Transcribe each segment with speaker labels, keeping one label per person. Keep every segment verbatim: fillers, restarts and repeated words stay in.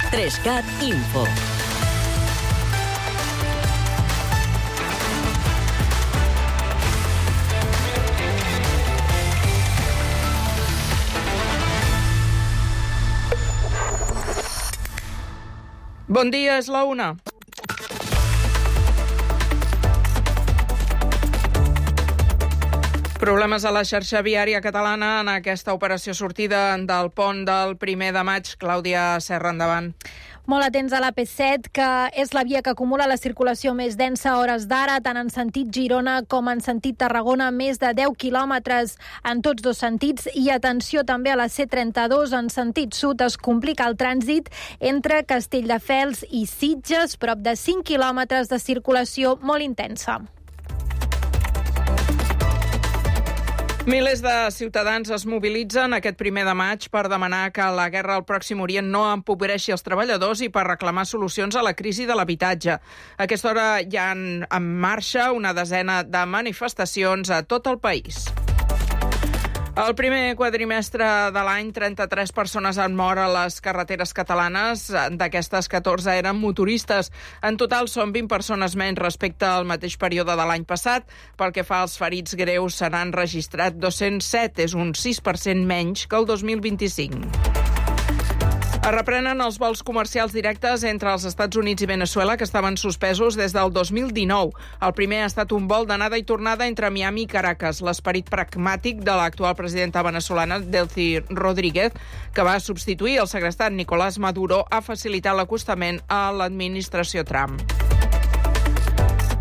Speaker 1: Trescat Info.
Speaker 2: Bon dia, és la una. Problemes a la xarxa viària catalana en aquesta operació sortida del pont del primer de maig. Clàudia Serra, endavant.
Speaker 3: Molt atents a l'A P set, que és la via que acumula la circulació més densa a hores d'ara, tant en sentit Girona com en sentit Tarragona, més de deu quilòmetres en tots dos sentits. I atenció també a la C trenta-dos, en sentit sud es complica el trànsit entre Castelldefels i Sitges, prop de cinc quilòmetres de circulació molt intensa.
Speaker 2: Milers de ciutadans es mobilitzen aquest primer de maig per demanar que la guerra al Pròxim Orient no empobreixi els treballadors i per reclamar solucions a la crisi de l'habitatge. A aquesta hora hi ha en marxa una desena de manifestacions a tot el país. El primer quadrimestre de l'any, trenta-tres persones han mort a les carreteres catalanes. D'aquestes, catorze eren motoristes. En total són vint persones menys respecte al mateix període de l'any passat. Pel que fa als ferits greus, se n'han registrat dos-cents set, és un sis per cent menys que el dos mil vint-i-cinc. Es reprenen els vols comercials directes entre els Estats Units i Veneçuela, que estaven suspesos des del dos mil dinou. El primer ha estat un vol d'anada i tornada entre Miami i Caracas. L'esperit pragmàtic de l'actual presidenta venezolana, Delcy Rodríguez, que va substituir el segrestat Nicolás Maduro, ha facilitat l'acostament a l'administració Trump.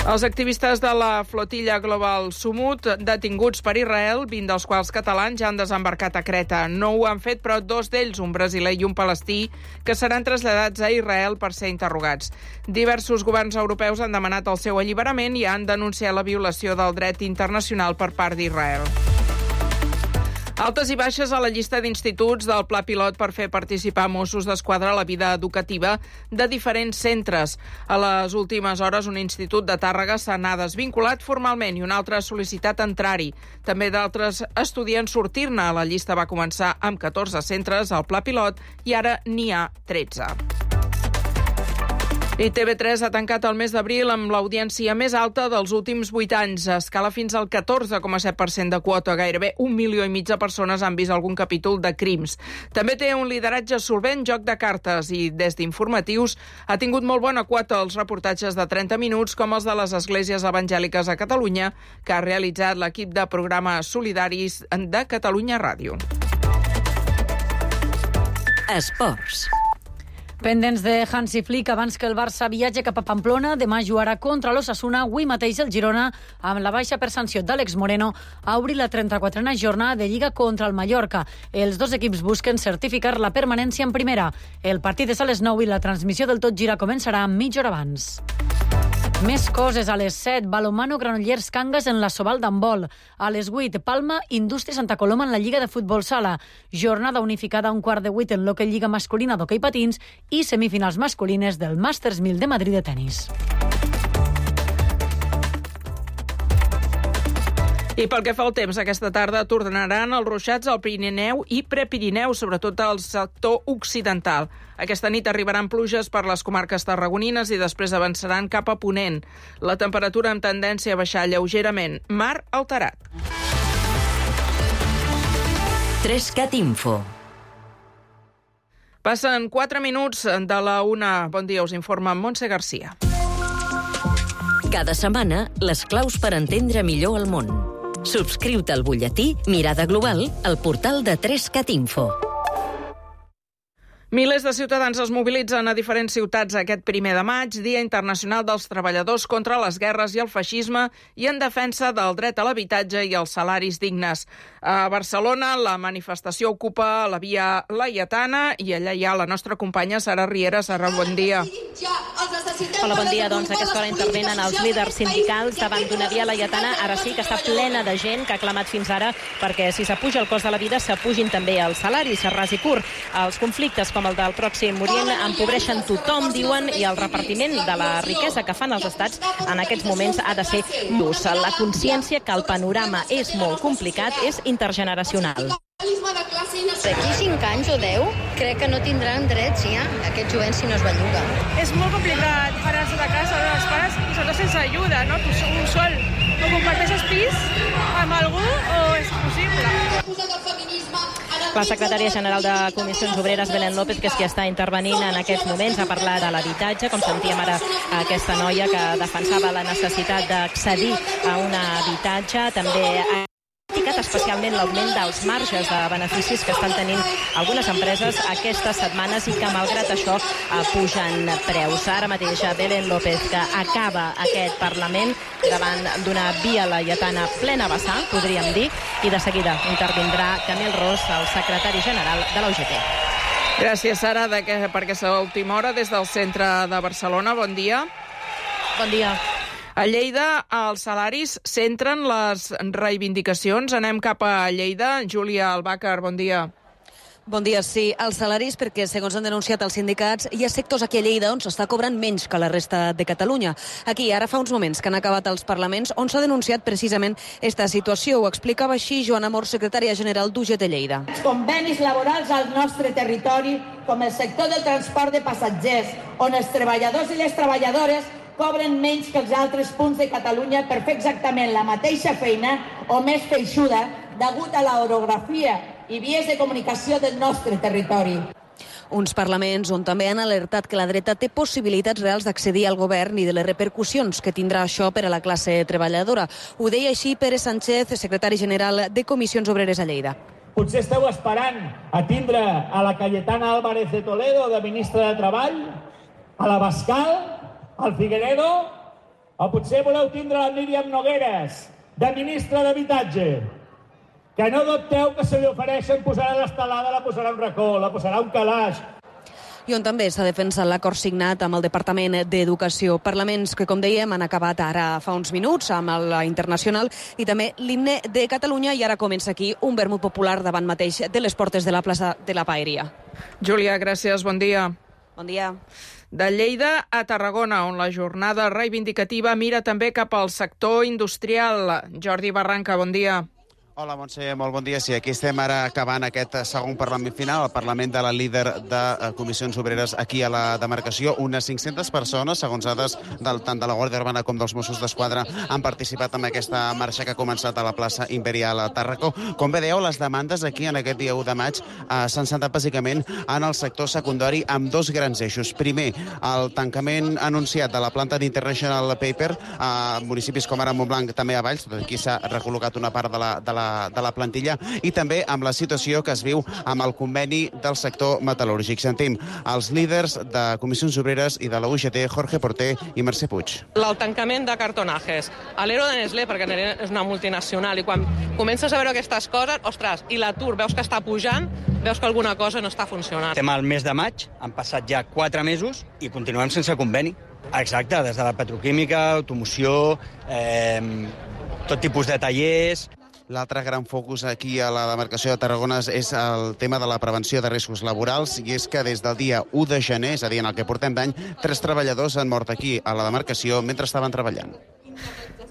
Speaker 2: Els activistes de la flotilla Global Sumut, detinguts per Israel, vint dels quals catalans, ja han desembarcat a Creta. No ho han fet, però dos d'ells, un brasiler i un palestí, que seran traslladats a Israel per ser interrogats. Diversos governs europeus han demanat el seu alliberament i han denunciat la violació del dret internacional per part d'Israel. Altes i baixes a la llista d'instituts del Pla Pilot per fer participar Mossos d'Esquadra a la vida educativa de diferents centres. A les últimes hores, un institut de Tàrrega se n'ha desvinculat formalment i un altre ha sol·licitat entrar-hi. També d'altres estudiants sortir-ne. La llista va començar amb catorze centres al Pla Pilot i ara n'hi ha tretze. I T V tres ha tancat el mes d'abril amb l'audiència més alta dels últims vuit anys. Escala fins al catorze coma set per cent de quota. Gairebé un milió i mig de persones han vist algun capítol de Crims. També té un lideratge solvent, Joc de cartes, i des d'informatius ha tingut molt bona quota els reportatges de trenta minuts com els de les esglésies evangèliques a Catalunya, que ha realitzat l'equip de programes solidaris de Catalunya Ràdio.
Speaker 1: Esports.
Speaker 4: Pendents de Hansi Flick abans que el Barça viatge cap a Pamplona. Demà jugarà contra l'Osasuna. Avui mateix el Girona, amb la baixa per sanció d'Àlex Moreno, ha obrit la trenta-quatrena jornada de Lliga contra el Mallorca. Els dos equips busquen certificar la permanència en primera. El partit és a les nou i la transmissió del Tot Gira començarà mitja hora abans. Més coses a les set. Balonmano Granollers Cangas en la Sobal d'handbol. A les vuit, Palma Indústria Santa Coloma en la Lliga de Futbol Sala. Jornada unificada a un quart de vuit en l'Hockey Lliga masculina d'hoquei patins i semifinals masculines del Masters mil de Madrid de tenis.
Speaker 2: I pel que fa al temps, aquesta tarda tornaran els ruixats al Pirineu i Prepirineu, sobretot al sector occidental. Aquesta nit arribaran pluges per les comarques tarragonines i després avançaran cap a Ponent. La temperatura amb tendència a baixar lleugerament. Mar alterat.
Speaker 1: Trescat Info.
Speaker 2: Passen quatre minuts de la una. Bon dia, us informa Montse Garcia.
Speaker 1: Cada setmana, les claus per entendre millor el món. Subscriu-te al butlletí Mirada Global al portal de Trescat Info.
Speaker 2: Milers de ciutadans es mobilitzen a diferents ciutats aquest primer de maig, Dia Internacional dels Treballadors contra les guerres i el feixisme i en defensa del dret a l'habitatge i els salaris dignes. A Barcelona, la manifestació ocupa la via Laietana i allà hi ha la nostra companya Sara Riera. Sara, bon dia.
Speaker 5: Hola, bon dia. Doncs a aquesta hora intervenen els líders sindicals davant d'una via Laietana, ara sí que està plena de gent que ha clamat fins ara perquè si s'apuja el cost de la vida s'apugin també els salaris, a ras i curt. Els conflictes com el del Pròxim Orient empobreixen tothom, diuen, i el repartiment de la riquesa que fan els estats en aquests moments ha de ser just. La consciència que el panorama és molt complicat és intergeneracional.
Speaker 6: D'aquí cinc anys o deu, crec que no tindran drets ja, aquest jovent si no es belluga.
Speaker 7: És molt complicat parar-se de casa dels pares i sobretot sense ajuda, no? Tu un sol, o comparteixes pis amb algú o és possible.
Speaker 5: La secretària general de Comissions Obreres, Belén López, que és qui està intervenint en aquests moments, ha parlat de l'habitatge, com sentíem ara aquesta noia que defensava la necessitat d'accedir a un habitatge, també ha criticat especialment l'augment dels marges de beneficis que estan tenint algunes empreses aquestes setmanes i que, malgrat això, pugen preus. Ara mateix, Belén López, que acaba aquest Parlament davant d'una via laietana plena vessar, podríem dir, i de seguida intervindrà Camil Ros, el secretari general de la U G T.
Speaker 2: Gràcies, Sara, de que, per aquesta última hora des del centre de Barcelona. Bon dia.
Speaker 5: Bon dia.
Speaker 2: A Lleida, els salaris centren les reivindicacions. Anem cap a Lleida. Júlia Albàcar, bon dia.
Speaker 8: Bon dia, sí. Els salaris, perquè segons han denunciat els sindicats, hi ha sectors aquí a Lleida on s'està cobrant menys que la resta de Catalunya. Aquí, ara fa uns moments que han acabat els parlaments, on s'ha denunciat precisament aquesta situació. Ho explicava així Joana Mor, secretària general d'U G T Lleida.
Speaker 9: Els convenis laborals al nostre territori, com el sector del transport de passatgers, on els treballadors i les treballadores cobren menys que els altres punts de Catalunya per fer exactament la mateixa feina o més feixuda degut a l'orografia i vies de comunicació del nostre territori.
Speaker 8: Uns parlaments on també han alertat que la dreta té possibilitats reals d'accedir al govern i de les repercussions que tindrà això per a la classe treballadora. Ho deia així Pere Sánchez, secretari general de Comissions Obreres a Lleida.
Speaker 10: Potser esteu esperant a tindre a la Cayetana Álvarez de Toledo de ministra de Treball, a la Bascal, al Figueredo, o potser voleu tindre la Míriam Nogueres, de ministra d'Habitatge, que no dubteu que se li ofereixen, posarà l'estelada, la posarà un racó, la posarà un calaix.
Speaker 8: I on també s'ha defensat l'acord signat amb el Departament d'Educació. Parlaments que, com dèiem, han acabat ara fa uns minuts amb la Internacional i també l'himne de Catalunya, i ara comença aquí un vermut popular davant mateix de les portes de la plaça de la Paeria.
Speaker 2: Júlia, gràcies, bon dia.
Speaker 8: Bon dia.
Speaker 2: De Lleida a Tarragona, on la jornada reivindicativa mira també cap al sector industrial. Jordi Barranca, bon dia.
Speaker 11: Hola, Montse, molt bon dia. Sí, aquí estem ara acabant aquest segon Parlament final, el Parlament de la líder de Comissions Obreres aquí a la demarcació. Unes cinc-centes persones, segons dades del, tant de la Guàrdia Urbana com dels Mossos d'Esquadra, han participat en aquesta marxa que ha començat a la plaça Imperial a Tàrraco. Com bé dèieu, les demandes aquí en aquest dia u de maig eh, s'han centrat bàsicament en el sector secundari amb dos grans eixos. Primer, el tancament anunciat de la planta d'International Paper a municipis com ara Montblanc, també a Valls, tot aquí s'ha recol·locat una part de la, de la de la plantilla, i també amb la situació que es viu amb el conveni del sector metal·lúrgic. Sentim els líders de Comissions Obreres i de la U G T, Jorge Porter i Mercè Puig.
Speaker 12: El tancament de cartonajes, a l'Ero de Nestlé, perquè és una multinacional, i quan comences a veure aquestes coses, ostres, i l'atur veus que està pujant, veus que alguna cosa no està funcionant.
Speaker 13: Estem al mes de maig, han passat ja quatre mesos i continuem sense conveni. Exacte, des de la petroquímica, automoció, eh, tot tipus de tallers.
Speaker 11: L'altre gran focus aquí a la demarcació de Tarragona és el tema de la prevenció de riscos laborals, i és que des del dia u de gener, és a dir, en el que portem d'any, tres treballadors han mort aquí a la demarcació mentre estaven treballant.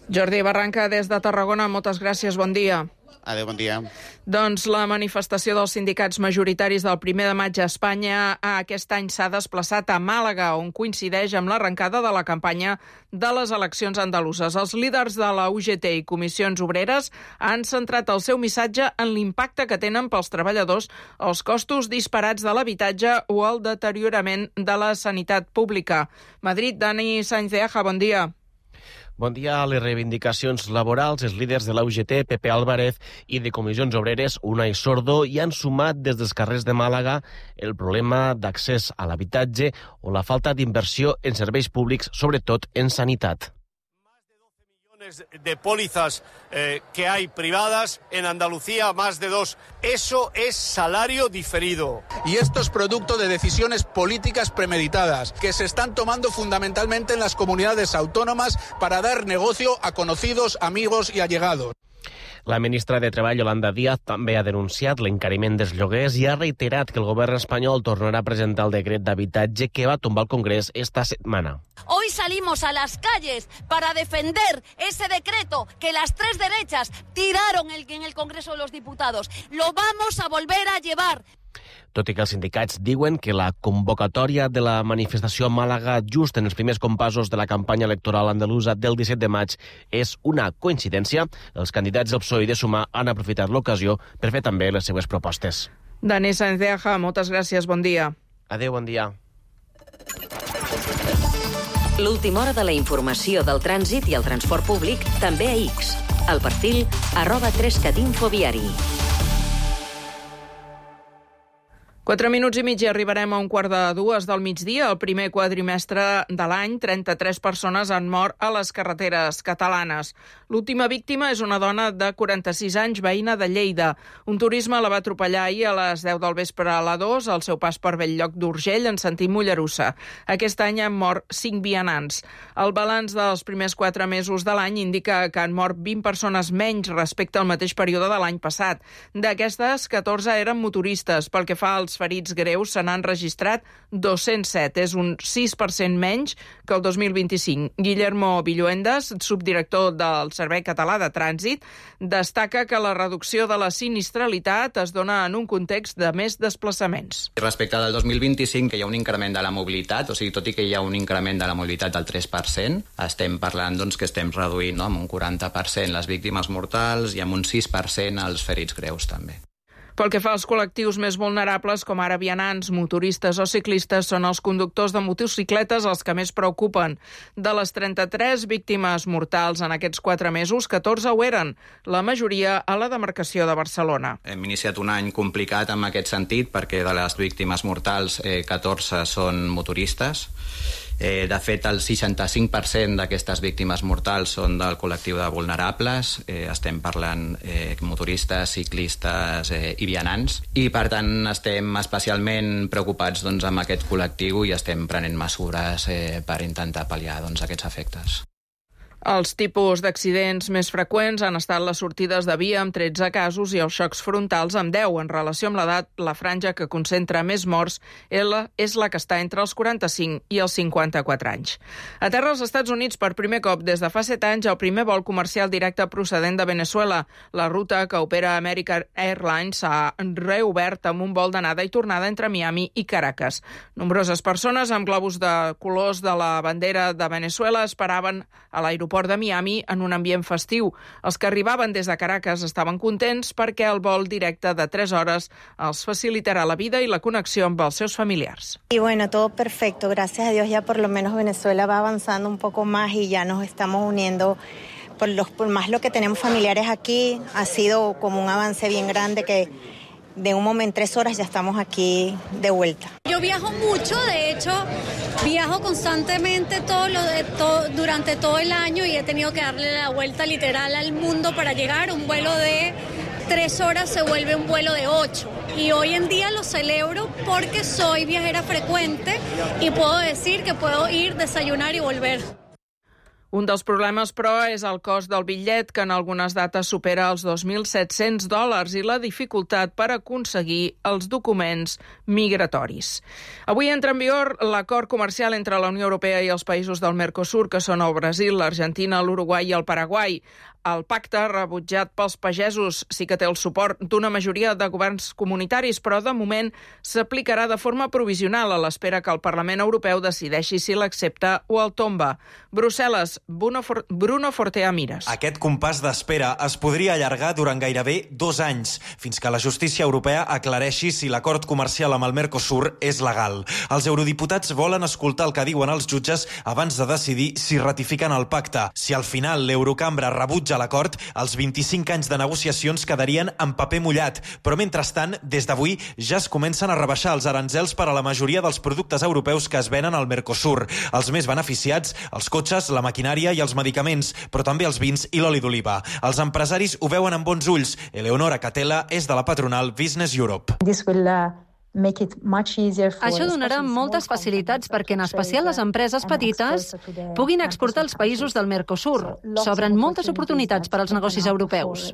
Speaker 2: Jordi Barranca, des de Tarragona, moltes gràcies, bon dia.
Speaker 11: Adéu, bon dia.
Speaker 2: Doncs la manifestació dels sindicats majoritaris del primer de maig a Espanya aquest any s'ha desplaçat a Màlaga, on coincideix amb l'arrencada de la campanya de les eleccions andaluses. Els líders de la U G T i Comissions Obreres han centrat el seu missatge en l'impacte que tenen pels treballadors els costos disparats de l'habitatge o el deteriorament de la sanitat pública. Madrid, Dani Sainz de Aja, bon dia.
Speaker 14: Bon dia. A les reivindicacions laborals, els líders de la U G T, Pepe Álvarez, i de Comissions Obreres, Unai Sordo, hi han sumat des dels carrers de Màlaga el problema d'accés a l'habitatge o la falta d'inversió en serveis públics, sobretot en sanitat.
Speaker 15: De pólizas eh, que hay privadas, en Andalucía más de dos. Eso es salario diferido.
Speaker 16: Y esto es producto de decisiones políticas premeditadas que se están tomando fundamentalmente en las comunidades autónomas para dar negocio a conocidos, amigos y allegados.
Speaker 14: La ministra de Treball, Yolanda Díaz, també ha denunciat l'encariment dels lloguers i ha reiterat que el govern espanyol tornarà a presentar el decret d'habitatge que va tombar el Congrés esta setmana.
Speaker 17: Hoy salimos a las calles para defender ese decreto que las tres derechas tiraron en el Congreso de los Diputados. Lo vamos a volver a llevar.
Speaker 14: Tot i que els sindicats diuen que la convocatòria de la manifestació a Màlaga just en els primers compassos de la campanya electoral andalusa del disset de maig és una coincidència, els candidats del P S O E i de Sumar han aprofitat l'ocasió per fer també les seues propostes.
Speaker 2: Dani Sáenz de Aja, moltes gràcies, bon dia.
Speaker 14: Adéu, bon dia.
Speaker 1: L'última hora de la informació del trànsit i el transport públic també a X. El perfil arroba tres cat info viari.
Speaker 2: Quatre minuts i mig i arribarem a un quart de dues del migdia. El primer quadrimestre de l'any, trenta-tres persones han mort a les carreteres catalanes. L'última víctima és una dona de quaranta-sis anys, veïna de Lleida. Un turisme la va atropellar ahir a les deu del vespre a la dos, al seu pas per Belllloc d'Urgell, en sentit Mollerussa. Aquest any han mort cinc vianants. El balanç dels primers quatre mesos de l'any indica que han mort vint persones menys respecte al mateix període de l'any passat. D'aquestes, catorze eren motoristes. Pel que fa als ferits greus, se n'han registrat dos-cents set. És un sis per cent menys que el dos mil vint-i-cinc. Guillermo Villuendas, subdirector del Servei Català de Trànsit, destaca que la reducció de la sinistralitat es dona en un context de més desplaçaments.
Speaker 18: Respecte del dos mil vint-i-cinc, que hi ha un increment de la mobilitat, o sigui, tot i que hi ha un increment de la mobilitat del tres per cent, estem parlant doncs, que estem reduint, no?, amb un quaranta per cent les víctimes mortals i amb un sis per cent els ferits greus també.
Speaker 2: Pel que fa als col·lectius més vulnerables, com ara vianants, motoristes o ciclistes, són els conductors de motocicletes els que més preocupen. De les trenta-tres víctimes mortals en aquests quatre mesos, catorze ho eren, la majoria a la demarcació de Barcelona.
Speaker 18: Hem iniciat un any complicat en aquest sentit perquè de les víctimes mortals, eh, catorze són motoristes. Eh, de fet, el seixanta-cinc per cent d'aquestes víctimes mortals són del col·lectiu de vulnerables. Eh, estem parlant eh, motoristes, ciclistes eh, i vianants. I, per tant, estem especialment preocupats doncs, amb aquest col·lectiu i estem prenent mesures eh, per intentar pal·liar doncs, aquests efectes.
Speaker 2: Els tipus d'accidents més freqüents han estat les sortides de via amb tretze casos i els xocs frontals amb deu. En relació amb l'edat, la franja que concentra més morts és la que està entre els quaranta-cinc i els cinquanta-quatre anys. A terra als Estats Units, per primer cop des de fa set anys, el primer vol comercial directe procedent de Venezuela. La ruta que opera American Airlines s'ha reobert amb un vol d'anada i tornada entre Miami i Caracas. Nombroses persones amb globus de colors de la bandera de Venezuela esperaven a l'aeroport de Miami en un ambient festiu. Els que arribaven des de Caracas estaven contents perquè el vol directe de tres hores els facilitarà la vida y la conexión amb els seus familiars.
Speaker 19: Y bueno, todo perfecto. Gracias a Dios ya por lo menos Venezuela va avanzando un poco más y ya nos estamos uniendo. Por, los, por más lo que tenemos familiares aquí, ha sido como un avance bien grande que de un momento, en tres horas ya estamos aquí de vuelta.
Speaker 20: Yo viajo mucho, de hecho, viajo constantemente todo lo de, todo, durante todo el año y he tenido que darle la vuelta literal al mundo para llegar. Un vuelo de tres horas se vuelve un vuelo de ocho. Y hoy en día lo celebro porque soy viajera frecuente y puedo decir que puedo ir, desayunar y volver.
Speaker 2: Un dels problemes, però, és el cost del bitllet, que en algunes dates supera els dos mil set-cents dòlars i la dificultat per aconseguir els documents migratoris. Avui entra en vigor l'acord comercial entre la Unió Europea i els països del Mercosur, que són el Brasil, l'Argentina, l'Uruguai i el Paraguai. El pacte, rebutjat pels pagesos, sí que té el suport d'una majoria de governs comunitaris, però de moment s'aplicarà de forma provisional a l'espera que el Parlament Europeu decideixi si l'accepta o el tomba. Brussel·les, Bruno, For Bruno Fortea Mires.
Speaker 21: Aquest compàs d'espera es podria allargar durant gairebé dos anys, fins que la justícia europea aclareixi si l'acord comercial amb el Mercosur és legal. Els eurodiputats volen escoltar el que diuen els jutges abans de decidir si ratifiquen el pacte. Si al final l'Eurocambra rebutja l'acord, els vint-i-cinc anys de negociacions quedarien en paper mullat. Però mentrestant, des d'avui ja es comencen a rebaixar els aranzels per a la majoria dels productes europeus que es venen al Mercosur. Els més beneficiats, els cotxes, la maquinària i els medicaments, però també els vins i l'oli d'oliva. Els empresaris ho veuen amb bons ulls. Eleonora Catela és de la patronal Business Europe.
Speaker 22: This will uh...
Speaker 3: Això donarà moltes facilitats perquè, en especial les empreses petites, puguin exportar als països del Mercosur. S'obren moltes oportunitats per als negocis europeus.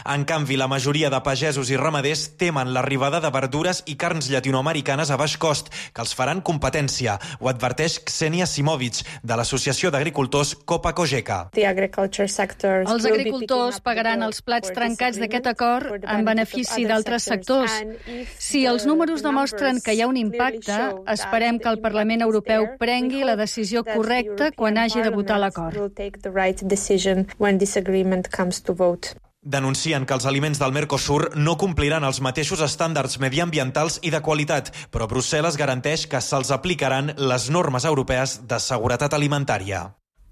Speaker 21: En canvi, la majoria de pagesos i ramaders temen l'arribada de verdures i carns llatinoamericanes a baix cost, que els faran competència. Ho adverteix Ksenia Simovic, de l'Associació d'Agricultors Copa Cogeca.
Speaker 3: Els agricultors pagaran els plats trencats d'aquest acord en benefici d'altres sectors. Si els números demostren que hi ha un impacte, esperem que el Parlament Europeu prengui la decisió correcta quan hagi de votar l'acord.
Speaker 21: Denuncien que els aliments del Mercosur no compliran els mateixos estàndards mediambientals i de qualitat, però Brussel·les garanteix que se'ls aplicaran les normes europees de seguretat alimentària.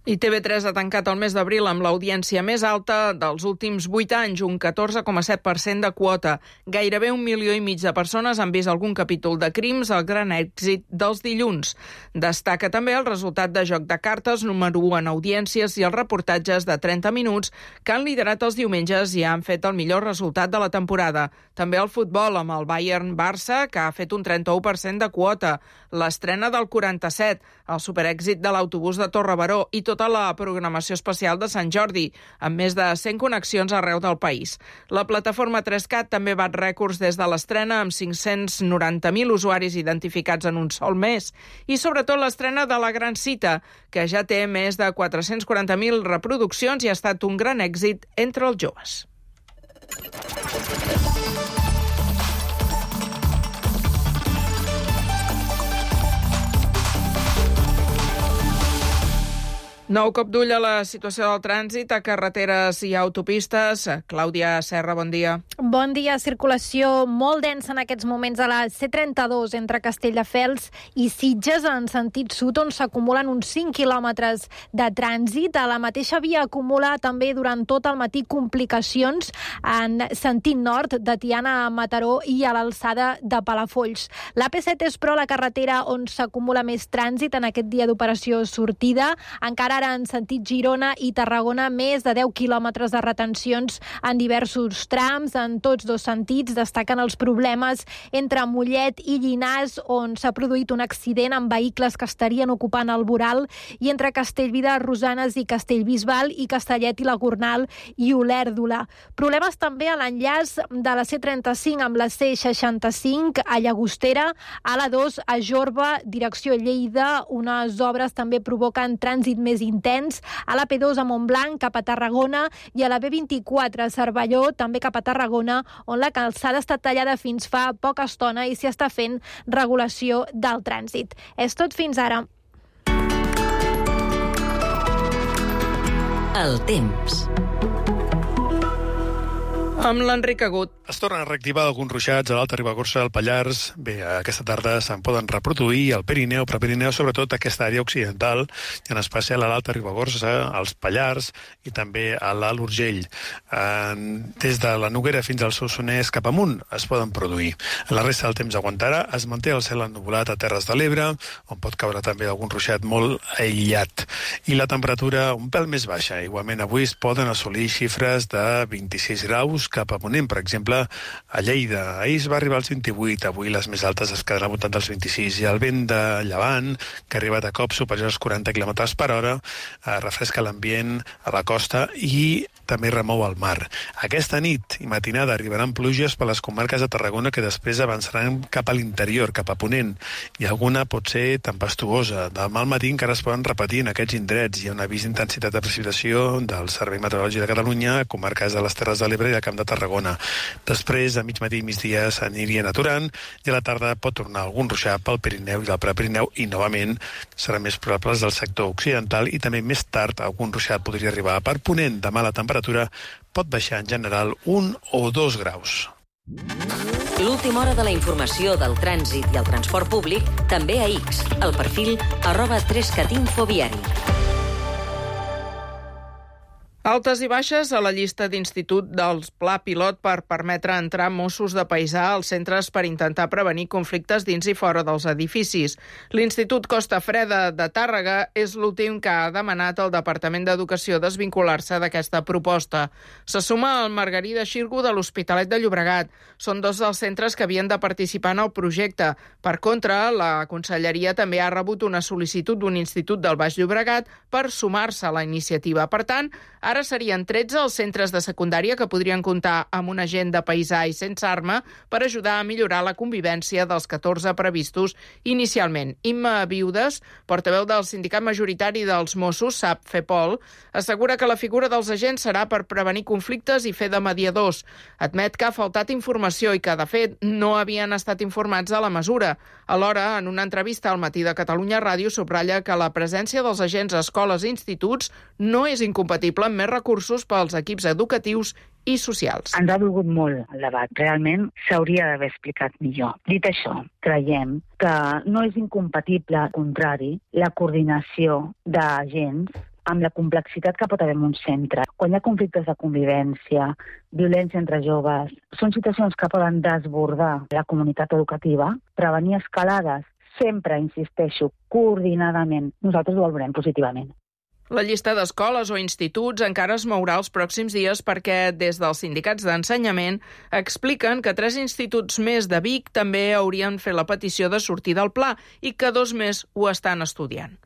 Speaker 2: I T V tres ha tancat el mes d'abril amb l'audiència més alta dels últims vuit anys, un catorze coma set per cent de quota. Gairebé un milió i mig de persones han vist algun capítol de Crims, el gran èxit dels dilluns. Destaca també el resultat de Joc de cartes, número u en audiències, i els reportatges de trenta minuts que han liderat els diumenges i han fet el millor resultat de la temporada. També el futbol, amb el Bayern-Barça, que ha fet un trenta-u per cent de quota. L'estrena del quaranta-set, el superèxit de l'autobús de Torre-Baró i tota la programació especial de Sant Jordi, amb més de cent connexions arreu del país. La plataforma tres cat també bat rècords des de l'estrena, amb cinc-cents noranta mil usuaris identificats en un sol mes. I sobretot l'estrena de La Gran Cita, que ja té més de quatre-cents quaranta mil reproduccions i ha estat un gran èxit entre els joves. Nou cop d'ull a la situació del trànsit a carreteres i autopistes. Clàudia Serra, bon dia.
Speaker 22: Bon dia. Circulació molt densa en aquests moments a la C trenta-dos entre Castelldefels i Sitges en sentit sud, on s'acumulen uns cinc quilòmetres de trànsit. A la mateixa via acumula també durant tot el matí complicacions en sentit nord de Tiana a Mataró i a l'alçada de Palafolls. La P set és, però, la carretera on s'acumula més trànsit en aquest dia d'operació sortida. Encara ara en sentit Girona i Tarragona, més de deu quilòmetres de retencions en diversos trams, en tots dos sentits. Destaquen els problemes entre Mollet i Llinars, on s'ha produït un accident amb vehicles que estarien ocupant el voral, i entre Castellví de Rosanes i Castellbisbal i Castellet i la Gornal i Olèrdola. Problemes també a l'enllaç de la C trenta-cinc amb la C seixanta-cinc a Llagostera, a la dos a Jorba, direcció Lleida. Unes obres també provoquen trànsit més intens a la P dos a Montblanc cap a Tarragona i a la B vint-i-quatre a Cervelló, també cap a Tarragona, on la calçada està tallada fins fa poca estona i s'hi està fent regulació del trànsit. És tot fins ara.
Speaker 1: El temps.
Speaker 2: Amb l'Enric Agut.
Speaker 23: Es tornen a reactivar alguns ruixats a l'Alta Ribagorça, al Pallars. Bé, aquesta tarda se'n poden reproduir al Pirineu, però Pirineu, sobretot aquesta àrea occidental, i en especial a l'Alta Ribagorça, als Pallars i també a l'Alt Urgell. Des de la Noguera fins al Solsonès cap amunt es poden produir. La resta del temps aguantarà. Es manté el cel ennuvolat a Terres de l'Ebre, on pot caure també algun ruixat molt aïllat. I la temperatura un pèl més baixa. Igualment avui es poden assolir xifres de vint-i-sis graus cap a Ponent, per exemple, a Lleida. Ahir es va arribar als vint-i-vuit, avui les més altes es quedaran al voltant dels vint-i-sis, i el vent de llevant, que ha arribat a cops superiors als quaranta quilòmetres per hora, eh, refresca l'ambient a la costa i també remou el mar. Aquesta nit i matinada arribaran pluges per les comarques de Tarragona, que després avançaran cap a l'interior, cap a Ponent, i alguna pot ser tempestuosa. Demà al matí encara es poden repetir en aquests indrets. Hi ha un avís d'intensitat de precipitació del Servei Meteorològic de Catalunya a comarques de les Terres de l'Ebre i del Camp de Tarragona. Després, a mig matí i migdia s'anirien aturant, i a la tarda pot tornar algun ruixat pel Pirineu i del Prepirineu, i novament seran més probables del sector occidental, i també més tard algun ruixat podria arribar per Ponent. Demà la temperatura pot baixar en general un o dos graus.
Speaker 1: L'última hora de la informació del trànsit i el transport públic també a X, al perfil arroba tres cat info viari.
Speaker 2: El Altes i baixes a la llista d'institut del Pla Pilot per permetre entrar Mossos de Paisà als centres per intentar prevenir conflictes dins i fora dels edificis. L'Institut Costa Freda de Tàrrega és l'últim que ha demanat al Departament d'Educació desvincular-se d'aquesta proposta. Se suma el Margarida Xirgu de l'Hospitalet de Llobregat. Són dos dels centres que havien de participar en el projecte. Per contra, la Conselleria també ha rebut una sol·licitud d'un institut del Baix Llobregat per sumar-se a la iniciativa. Per tant, ara serien tretze els centres de secundària que podrien comptar amb un agent de paisà i sense arma per ajudar a millorar la convivència dels catorze previstos inicialment. Imma Viudes, portaveu del sindicat majoritari dels Mossos, SAP FEPOL, assegura que la figura dels agents serà per prevenir conflictes i fer de mediadors. Admet que ha faltat informació i que, de fet, no havien estat informats de la mesura. Alhora, en una entrevista al Matí de Catalunya Ràdio, subratlla que la presència dels agents a escoles i instituts no és incompatible amb més recursos pels equips educatius i socials.
Speaker 4: Ens ha dolgut molt el debat. Realment s'hauria d'haver explicat millor. Dit això, creiem que no és incompatible, al contrari, la coordinació d'agents amb la complexitat que pot haver en un centre. Quan hi ha conflictes de convivència, violència entre joves, són situacions que poden desbordar la comunitat educativa, prevenir escalades, sempre, insisteixo, coordinadament. Nosaltres ho valorem positivament.
Speaker 2: La llista d'escoles o instituts encara es mourà els pròxims dies perquè des dels sindicats d'ensenyament expliquen que tres instituts més de Vic també haurien fet la petició de sortir del pla i que dos més ho estan estudiant.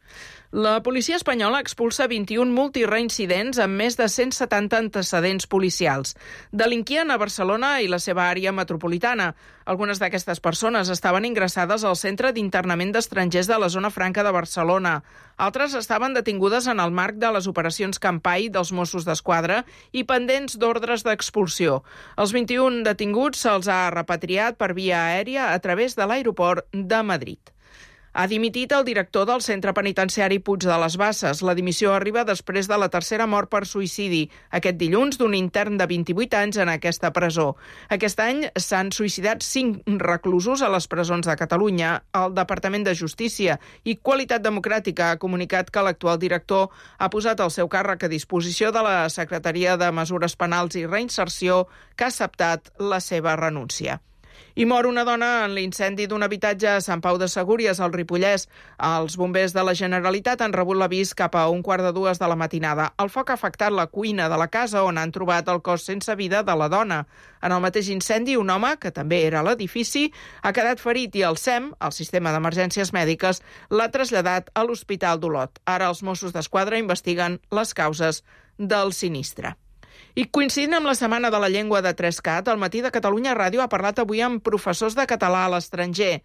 Speaker 2: La policia espanyola expulsa vint-i-un multireincidents amb més de cent setanta antecedents policials. Delinquien a Barcelona i la seva àrea metropolitana. Algunes d'aquestes persones estaven ingressades al Centre d'Internament d'Estrangers de la Zona Franca de Barcelona. Altres estaven detingudes en el marc de les operacions Campai dels Mossos d'Esquadra i pendents d'ordres d'expulsió. Els vint-i-un detinguts se'ls ha repatriat per via aèria a través de l'aeroport de Madrid. Ha dimitit el director del centre penitenciari Puig de les Basses. La dimissió arriba després de la tercera mort per suïcidi, aquest dilluns, d'un intern de vint-i-vuit anys en aquesta presó. Aquest any s'han suïcidat cinc reclusos a les presons de Catalunya. El Departament de Justícia i Qualitat Democràtica ha comunicat que l'actual director ha posat el seu càrrec a disposició de la Secretaria de Mesures Penals i Reinserció, que ha acceptat la seva renúncia. I mor una dona en l'incendi d'un habitatge a Sant Pau de Segúries, al Ripollès. Els bombers de la Generalitat han rebut l'avís cap a un quart de dues de la matinada. El foc ha afectat la cuina de la casa on han trobat el cos sense vida de la dona. En el mateix incendi, un home, que també era a l'edifici, ha quedat ferit i el S E M, el Sistema d'Emergències Mèdiques, l'ha traslladat a l'Hospital d'Olot. Ara els Mossos d'Esquadra investiguen les causes del sinistre. I coincidint amb la Setmana de la Llengua de Trescat, el Matí de Catalunya Ràdio ha parlat avui amb professors de català a l'estranger.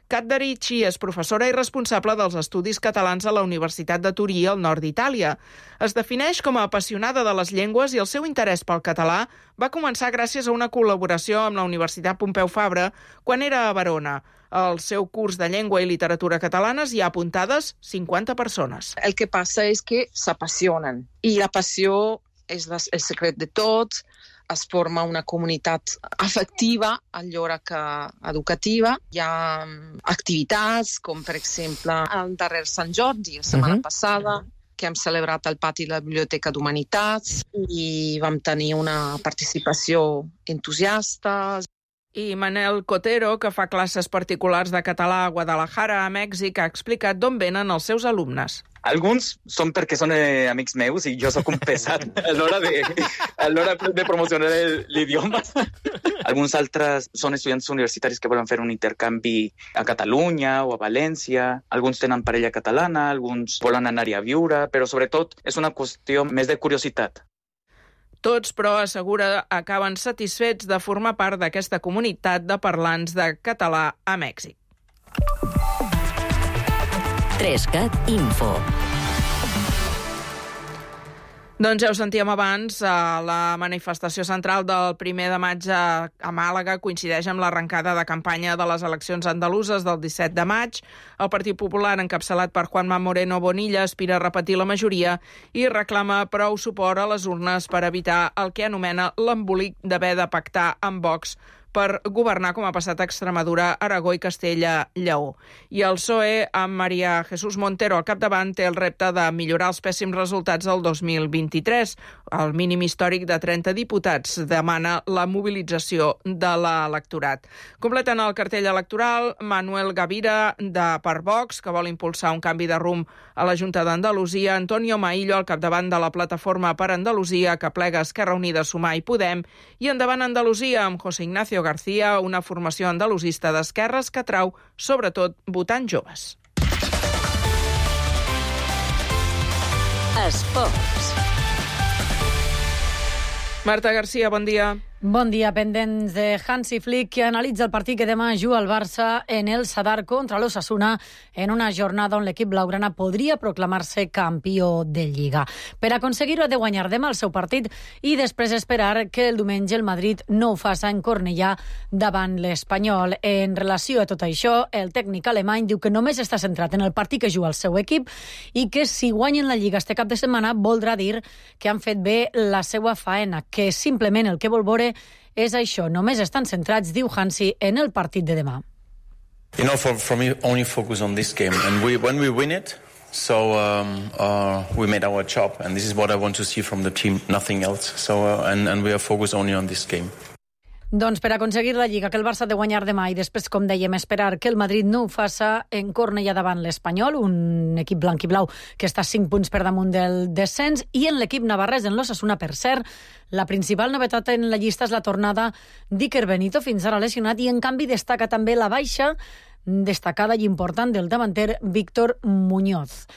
Speaker 2: Kat Darici és professora i responsable dels estudis catalans a la Universitat de Turí, al nord d'Itàlia. Es defineix com a apassionada de les llengües i el seu interès pel català va començar gràcies a una col·laboració amb la Universitat Pompeu Fabra quan era a Verona. Al seu curs de llengua i literatura catalanes hi ha apuntades cinquanta persones.
Speaker 6: El que passa és que s'apassionen i la passió és el secret de tots, es forma una comunitat afectiva alhora que educativa. Hi ha activitats com, per exemple, el darrer Sant Jordi, la setmana uh-huh. passada, que hem celebrat al pati de la Biblioteca d'Humanitats i vam tenir una participació entusiasta.
Speaker 2: I Manel Cotero, que fa classes particulars de català a Guadalajara, a Mèxic, ha explicat d'on venen els seus alumnes.
Speaker 7: Alguns són perquè són eh, amics meus i jo sóc un pesat a l'hora de, a l'hora de promocionar l'idioma. Alguns altres són estudiants universitaris que volen fer un intercanvi a Catalunya o a València. Alguns tenen parella catalana, alguns volen anar-hi a viure, però sobretot és una qüestió més de curiositat.
Speaker 2: Tots, però, assegura, acaben satisfets de formar part d'aquesta comunitat de parlants de català a Mèxic.
Speaker 1: Trescat Info.
Speaker 2: Doncs ja ho sentíem abans, la manifestació central del primer de maig a Màlaga coincideix amb l'arrencada de campanya de les eleccions andaluses del disset de maig. El Partit Popular, encapçalat per Juanma Moreno Bonilla, aspira a repetir la majoria i reclama prou suport a les urnes per evitar el que anomena l'embolic d'haver de pactar amb Vox per governar com ha passat a Extremadura, Aragó i Castella-Lleó. I el P S O E, amb María Jesús Montero al capdavant, té el repte de millorar els pèssims resultats del dos mil vint-i-tres. El mínim històric de trenta diputats demana la mobilització de l'electorat. Completen el cartell electoral Manuel Gavira de per Vox, que vol impulsar un canvi de rumb a la Junta d'Andalusia, Antonio Maillo al capdavant de la Plataforma per Andalusia, que plega Esquerra Unida, Sumar i Podem, i Endavant Andalusia amb José Ignacio García, una formació andalusista d'esquerres que atrau sobretot votants joves.
Speaker 1: Esports.
Speaker 2: Marta García, bon dia.
Speaker 5: Bon dia, pendents de Hansi Flick, que analitza el partit que demà juga el Barça en el Sadar contra l'Osasuna en una jornada on l'equip blaugrana podria proclamar-se campió de Lliga. Per aconseguir-ho ha de guanyar demà el seu partit i després esperar que el diumenge el Madrid no ho faci en Cornellà davant l'Espanyol. En relació a tot això, el tècnic alemany diu que només està centrat en el partit que juga el seu equip i que si guanyen la Lliga este cap de setmana voldrà dir que han fet bé la seva faena, que simplement el que vol veure és això, només estan centrats, diu Hansi, en el partit de demà.
Speaker 9: You know, for, for me, only focus on this game. And we, when we win it, so um, uh, we made our job. And this is what I want to see from the team, nothing else. So, uh, and, and we are focused only on this game.
Speaker 5: Doncs per aconseguir la Lliga que el Barça ha de guanyar demà i després, com dèiem, esperar que el Madrid no ho faça en Cornellà davant l'Espanyol, un equip blanc i blau que està cinc punts per damunt del descens, i en l'equip navarrès, en l'Osasuna, per cert, la principal novetat en la llista és la tornada d'Iker Benito, fins ara lesionat, i en canvi destaca també la baixa destacada i important del davanter Víctor Muñoz.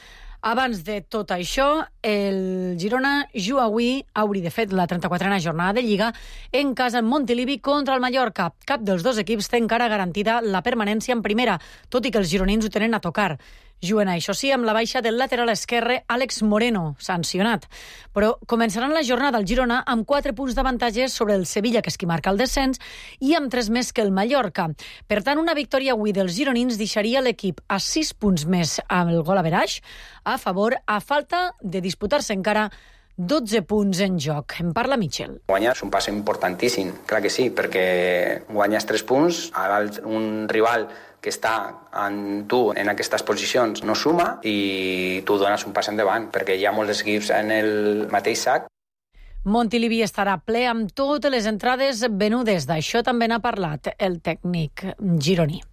Speaker 5: Abans de tot això, el Girona juga avui, hauria de fet la trenta-quatrena jornada de Lliga, en casa en Montilivi contra el Mallorca. Cap dels dos equips té encara garantida la permanència en primera, tot i que els gironins ho tenen a tocar. Juguen, això sí, amb la baixa del lateral esquerre Àlex Moreno, sancionat. Però començaran la jornada al Girona amb quatre punts d'avantatge sobre el Sevilla, que és qui marca el descens, i amb tres més que el Mallorca. Per tant, una victòria avui dels gironins deixaria l'equip a sis punts més amb el gol average a favor, a falta de disputar-se encara dotze punts en joc. En parla Michel.
Speaker 10: Guanyar és un pas importantíssim, clar que sí, perquè guanyes tres punts, ara un rival que està en tu en aquestes posicions no suma i tu dones un pas endavant, perquè hi ha molts equips en el mateix sac.
Speaker 5: Montilivi estarà ple amb totes les entrades venudes. D'això també n'ha parlat el tècnic gironí.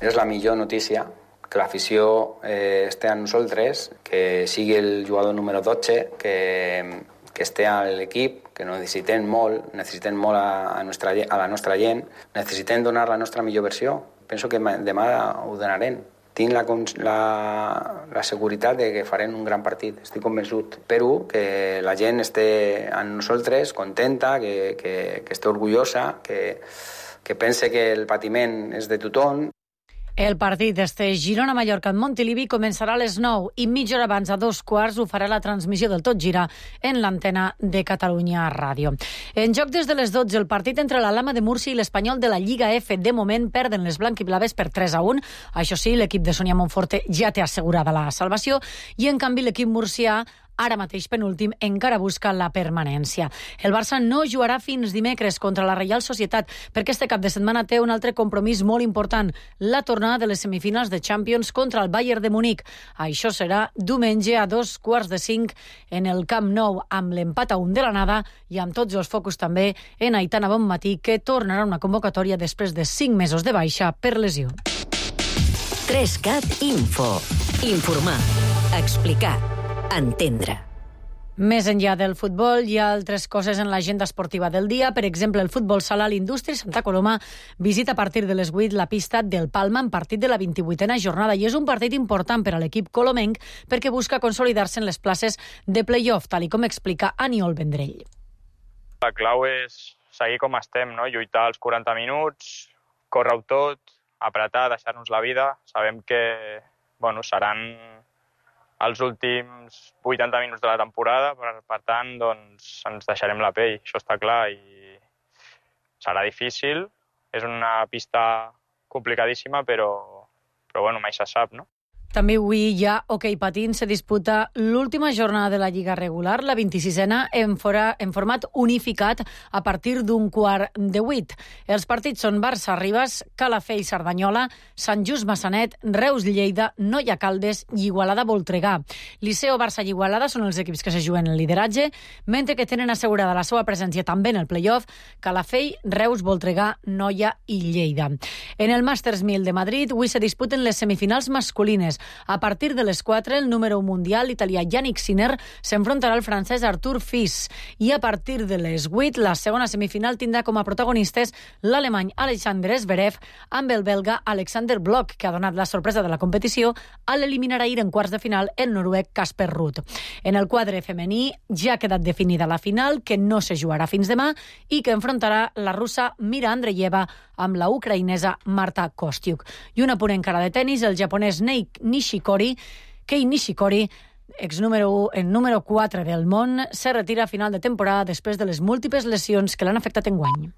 Speaker 10: És la millor notícia, que l'afició eh, esté amb nosaltres, que sigui el jugador número dotze, que, que esté a l'equip, que necessitem molt, necessitem molt a, a, nostra, a la nostra gent, necessitem donar la nostra millor versió. Penso que demà ho donarem. Tinc la, la, la seguretat de que farem un gran partit, estic convençut. Espero que la gent esté amb nosaltres, contenta, que, que, que esté orgullosa, que, que pense que el patiment és de tothom.
Speaker 5: El partit d'este Girona-Mallorca en Montilivi començarà a les nou i mitja hora abans, a dos quarts, ho farà la transmissió del Tot Gira en l'antena de Catalunya Ràdio. En joc des de les dotze, el partit entre l'Alhama de Múrcia i l'Espanyol de la Lliga F. De moment perden les blanquiblaves per tres a un. Això sí, l'equip de Sonia Monforte ja té assegurada la salvació i, en canvi, l'equip murcià, ara mateix penúltim, encara busca la permanència. El Barça no jugarà fins dimecres contra la Reial Societat perquè este cap de setmana té un altre compromís molt important, la tornada de les semifinals de Champions contra el Bayern de Munic. Això serà diumenge a dos quarts de cinc en el Camp Nou, amb l'empat a un de l'anada i amb tots els focus també en Aitana Bonmatí, que tornarà una convocatòria després de cinc mesos de baixa per lesió.
Speaker 1: tres-cat Info. Informar. Explicar. Entendre.
Speaker 5: Més enllà del futbol, hi ha altres coses en l'agenda esportiva del dia. Per exemple, el futbol sala, l'Indústria Santa Coloma visita a partir de les vuit la pista del Palma en partit de la vint-i-vuitena jornada, i és un partit important per a l'equip colomenc perquè busca consolidar-se en les places de play-off, tal i com explica Aniol Vendrell.
Speaker 24: La clau és seguir com estem, no? Lluitar els quaranta minuts, córrer-ho tot, apretar, deixar-nos la vida. Sabem que bueno, seran els últims vuitanta minuts de la temporada, per, per tant, doncs, ens deixarem la pell, això està clar, i serà difícil, és una pista complicadíssima, però, però bueno, mai se sap, no?
Speaker 5: També avui ja hoquei patins se disputa l'última jornada de la Lliga regular, la vint-i-sisena, en, fora, en format unificat a partir d'un quart de vuit. Els partits són Barça-Ribes, Calafell, Cerdanyola, Sant Just Massanet, Reus-Lleida, Noia-Caldes i Igualada-Voltregà. Liceo, Barça i Igualada són els equips que se juguen el lideratge, mentre que tenen assegurada la seva presència també en el play-off Calafell, Reus, Voltregà, Noia i Lleida. En el Masters mil de Madrid, avui se disputen les semifinals masculines. A partir de les quatre, el número mundial italià Yannick Sinner s'enfrontarà al francès Arthur Fils. I a partir de les vuit, la segona semifinal tindrà com a protagonistes l'alemany Alexander Zverev amb el belga Alexander Bloch, que ha donat la sorpresa de la competició a l'eliminar ahir en quarts de final el noruec Casper Ruud. En el quadre femení ja ha quedat definida la final, que no se jugarà fins demà i que enfrontarà la russa Mira Andreeva amb la ucraïnesa Marta Kostyuk. I un apunt encara de tenis, el japonès Nishikori, Kei Nishikori, ex número u, en número quatre del món, se retira a final de temporada després de les múltiples lesions que l'han afectat enguany.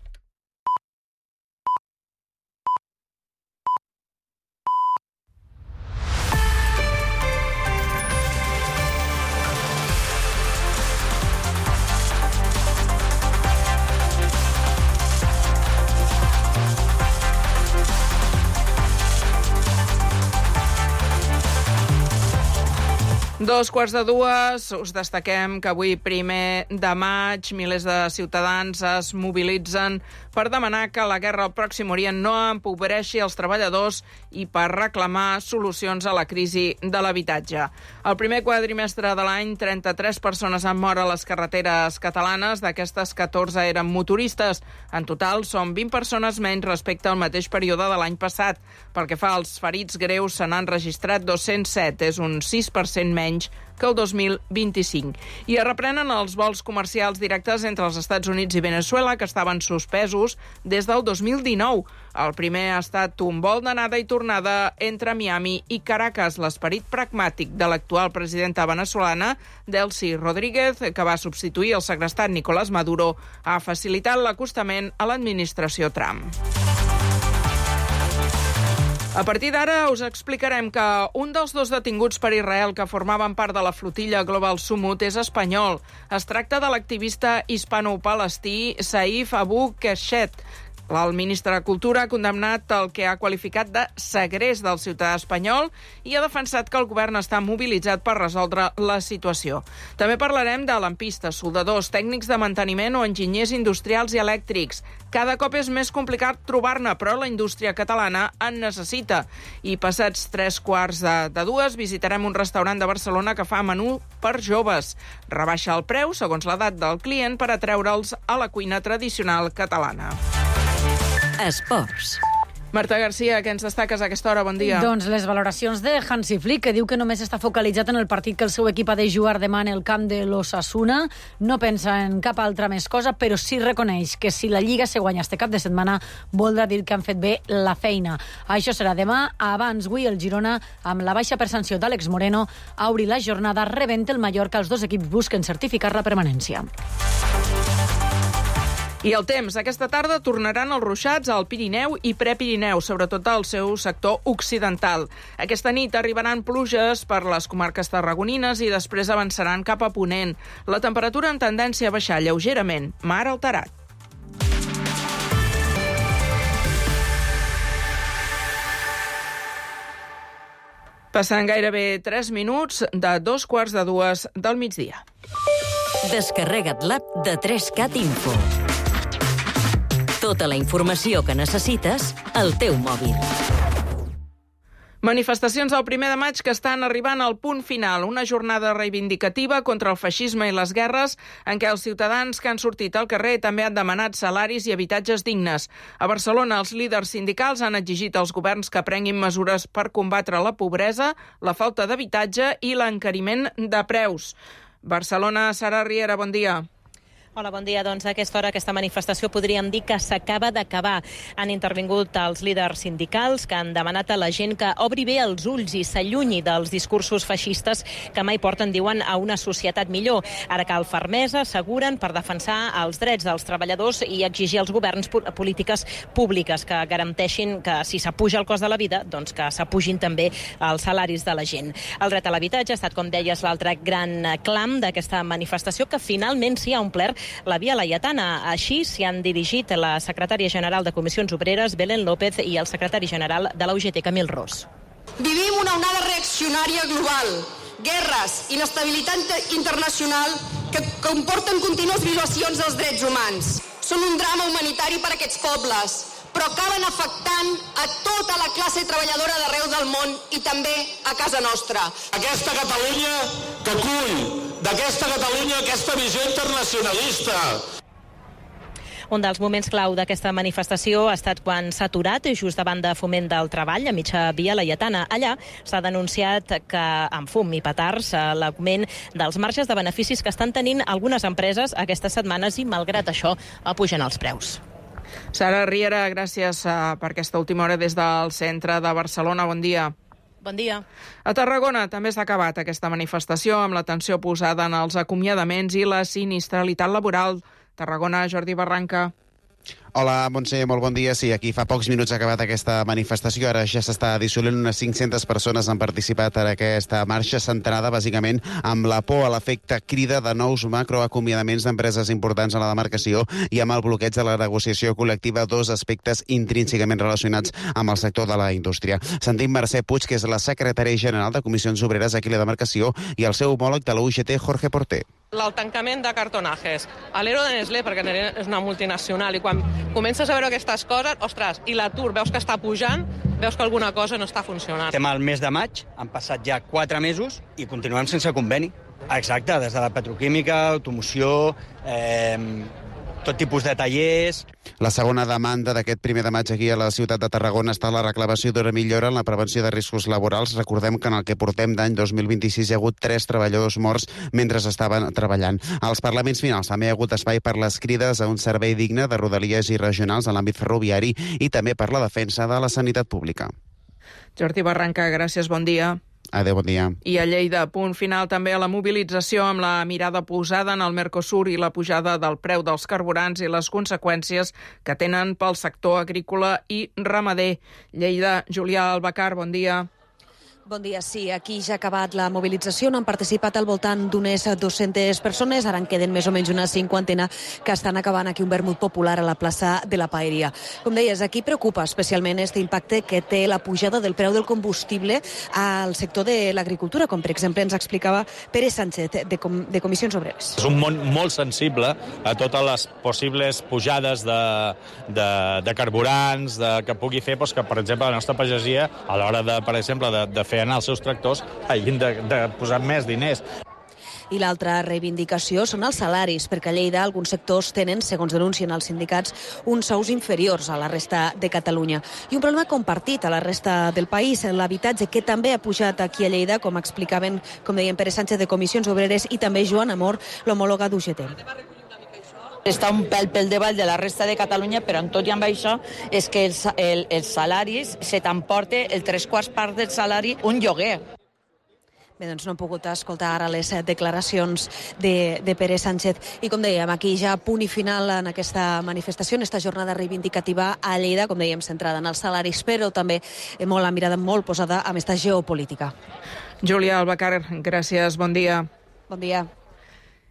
Speaker 2: Dos quarts de dues, us destaquem que avui, primer de maig, milers de ciutadans es mobilitzen per demanar que la guerra al Pròxim Orient no empobreixi els treballadors i per reclamar solucions a la crisi de l'habitatge. El primer quadrimestre de l'any, trenta-tres persones han mort a les carreteres catalanes, d'aquestes catorze eren motoristes. En total, són vint persones menys respecte al mateix període de l'any passat. Pel que fa als ferits greus, se n'han registrat dos-cents set, és un sis per cent menys que el dos mil vint-i-cinc. I es reprenen els vols comercials directes entre els Estats Units i Venezuela, que estaven suspesos des del dos mil dinou. El primer ha estat un vol d'anada i tornada entre Miami i Caracas. L'esperit pragmàtic de l'actual presidenta venezolana, Delcy Rodríguez, que va substituir el segrestat Nicolás Maduro, ha facilitat l'acostament a l'administració Trump. A partir d'ara us explicarem que un dels dos detinguts per Israel que formaven part de la flotilla Global Sumut és espanyol. Es tracta de l'activista hispano-palestí Saif Abu Keshet. El ministre de Cultura ha condemnat el que ha qualificat de segrest del ciutadà espanyol i ha defensat que el govern està mobilitzat per resoldre la situació. També parlarem de lampistes, soldadors, tècnics de manteniment o enginyers industrials i elèctrics. Cada cop és més complicat trobar-ne, però la indústria catalana en necessita. I passats tres quarts de, de dues visitarem un restaurant de Barcelona que fa menú per joves. Rebaixa el preu segons l'edat del client per atreure'ls a la cuina tradicional catalana.
Speaker 1: Esports.
Speaker 2: Marta Garcia, què ens destaques a aquesta hora? Bon dia.
Speaker 5: Doncs les valoracions de Hansi Flick, que diu que només està focalitzat en el partit que el seu equip ha de jugar demà en el camp de l'Osasuna. No pensa en cap altra més cosa, però sí reconeix que si la Lliga se guanya este cap de setmana voldrà dir que han fet bé la feina. Això serà demà. Abans, avui, el Girona, amb la baixa per sanció d'Àlex Moreno, ha obrit la jornada rebent el Mallorca. Els dos equips busquen certificar la permanència.
Speaker 2: I el temps. Aquesta tarda tornaran els ruixats al Pirineu i Prepirineu, sobretot al seu sector occidental. Aquesta nit arribaran pluges per les comarques tarragonines i després avançaran cap a Ponent. La temperatura en tendència a baixar lleugerament, mar alterat. Passant gairebé tres minuts de dos quarts de dues del migdia.
Speaker 1: Descarrega't l'app de tres cat Info. Tota la informació que necessites al teu mòbil.
Speaker 2: Manifestacions del primer de maig que estan arribant al punt final. Una jornada reivindicativa contra el feixisme i les guerres en què els ciutadans que han sortit al carrer també han demanat salaris i habitatges dignes. A Barcelona, els líders sindicals han exigit als governs que prenguin mesures per combatre la pobresa, la falta d'habitatge i l'encariment de preus. Barcelona, Sara Riera, bon dia.
Speaker 8: Hola, bon dia. Doncs a aquesta hora, aquesta manifestació podríem dir que s'acaba d'acabar. Han intervingut els líders sindicals que han demanat a la gent que obri bé els ulls i s'allunyi dels discursos feixistes que mai porten, diuen, a una societat millor. Ara cal fermesa, asseguren, per defensar els drets dels treballadors i exigir als governs polítiques públiques que garanteixin que si s'apuja el cost de la vida, doncs que s'apugin també els salaris de la gent. El dret a l'habitatge ha estat, com deies, l'altre gran clam d'aquesta manifestació que finalment s'hi ha omplert la Via Laietana. Així s'hi han dirigit la secretària general de Comissions Obreres, Belén López, i el secretari general de la U G T, Camil Ros.
Speaker 11: Vivim una onada reaccionària global, guerres, inestabilitat internacional que comporten contínues violacions dels drets humans. Són un drama humanitari per a aquests pobles, però acaben afectant a tota la classe treballadora d'arreu del món i també a casa nostra.
Speaker 12: Aquesta Catalunya que acull, d'aquesta Catalunya, aquesta visió internacionalista.
Speaker 8: Un dels moments clau d'aquesta manifestació ha estat quan s'ha aturat just davant de Foment del Treball, a mitja Via Laietana. Allà s'ha denunciat que, amb fum i petards, l'augment dels marges de beneficis que estan tenint algunes empreses aquestes setmanes i, malgrat això, pugen els preus.
Speaker 2: Sara Riera, gràcies per aquesta última hora des del centre de Barcelona. Bon dia.
Speaker 8: Bon dia.
Speaker 2: A Tarragona també s'ha acabat aquesta manifestació amb l'atenció posada en els acomiadaments i la sinistralitat laboral. Tarragona, Jordi Barranca.
Speaker 13: Hola, Montse, molt bon dia. Sí, aquí fa pocs minuts ha acabat aquesta manifestació. Ara ja s'està dissolent. Unes cinc-centes persones han participat en aquesta marxa centrada, bàsicament, amb la por a l'efecte crida de nous macroacomiadaments d'empreses importants a la demarcació i amb el bloqueig de la negociació col·lectiva, dos aspectes intrínsecament relacionats amb el sector de la indústria. Sentim Mercè Puig, que és la secretària general de Comissions Obreres aquí a la demarcació, i el seu homòleg de la U G T, Jorge Porter.
Speaker 25: El tancament de cartonajes, a l'Ero de Nestlé, perquè Nestlé és una multinacional, i quan comences a veure aquestes coses, ostres, i l'atur veus que està pujant, veus que alguna cosa no està funcionant.
Speaker 26: Estem al mes de maig, han passat ja quatre mesos i continuem sense conveni. Exacte, des de la petroquímica, automoció, eh, tot tipus de tallers.
Speaker 13: La segona demanda d'aquest primer de maig aquí a la ciutat de Tarragona està la reclamació d'una millora en la prevenció de riscos laborals. Recordem que en el que portem d'any dos mil vint-i-sis hi ha hagut tres treballadors morts mentre estaven treballant. Als parlaments finals també hi ha hagut espai per les crides a un servei digne de rodalies i regionals en l'àmbit ferroviari i també per la defensa de la sanitat pública.
Speaker 2: Jordi Barranca, gràcies, bon dia.
Speaker 13: Adéu, bon dia.
Speaker 2: I a Lleida, punt final també a la mobilització amb la mirada posada en el Mercosur i la pujada del preu dels carburants i les conseqüències que tenen pel sector agrícola i ramader. Lleida, Julià Albacar, bon dia.
Speaker 27: Bon dia, sí. Aquí ja ha acabat la mobilització. Han participat al voltant d'unes dues-centes persones. Ara en queden més o menys una cinquantena que estan acabant aquí un vermut popular a la plaça de la Paeria. Com deies, aquí preocupa especialment aquest impacte que té la pujada del preu del combustible al sector de l'agricultura, com per exemple ens explicava Pere Sánchez, de, Com de Comissions Obreres.
Speaker 28: És un món molt sensible a totes les possibles pujades de, de, de carburants de, que pugui fer doncs, que, per exemple, la nostra pagesia, a l'hora, de, per exemple, de, de fer anar els seus tractors, hagin de, de posar més diners.
Speaker 27: I l'altra reivindicació són els salaris, perquè a Lleida alguns sectors tenen, segons denuncien els sindicats, uns sous inferiors a la resta de Catalunya. I un problema compartit a la resta del país, l'habitatge, que també ha pujat aquí a Lleida, com explicaven, com deien Pere Sánchez de Comissions Obreres i també Joan Amor, l'homòloga d'U G T.
Speaker 29: Està un pèl pel davall de la resta de Catalunya, però en tot i amb això és que els, el, els salaris se t'emporta el tres quarts part del salari un lloguer.
Speaker 27: Bé, doncs no hem pogut escoltar ara les declaracions de, de Pere Sánchez. I com dèiem, aquí ja punt i final en aquesta manifestació, en aquesta jornada reivindicativa a Lleida, com dèiem, centrada en els salaris, però també molt la mirada molt posada en aquesta geopolítica.
Speaker 2: Júlia Albacar, gràcies, bon dia.
Speaker 27: Bon dia.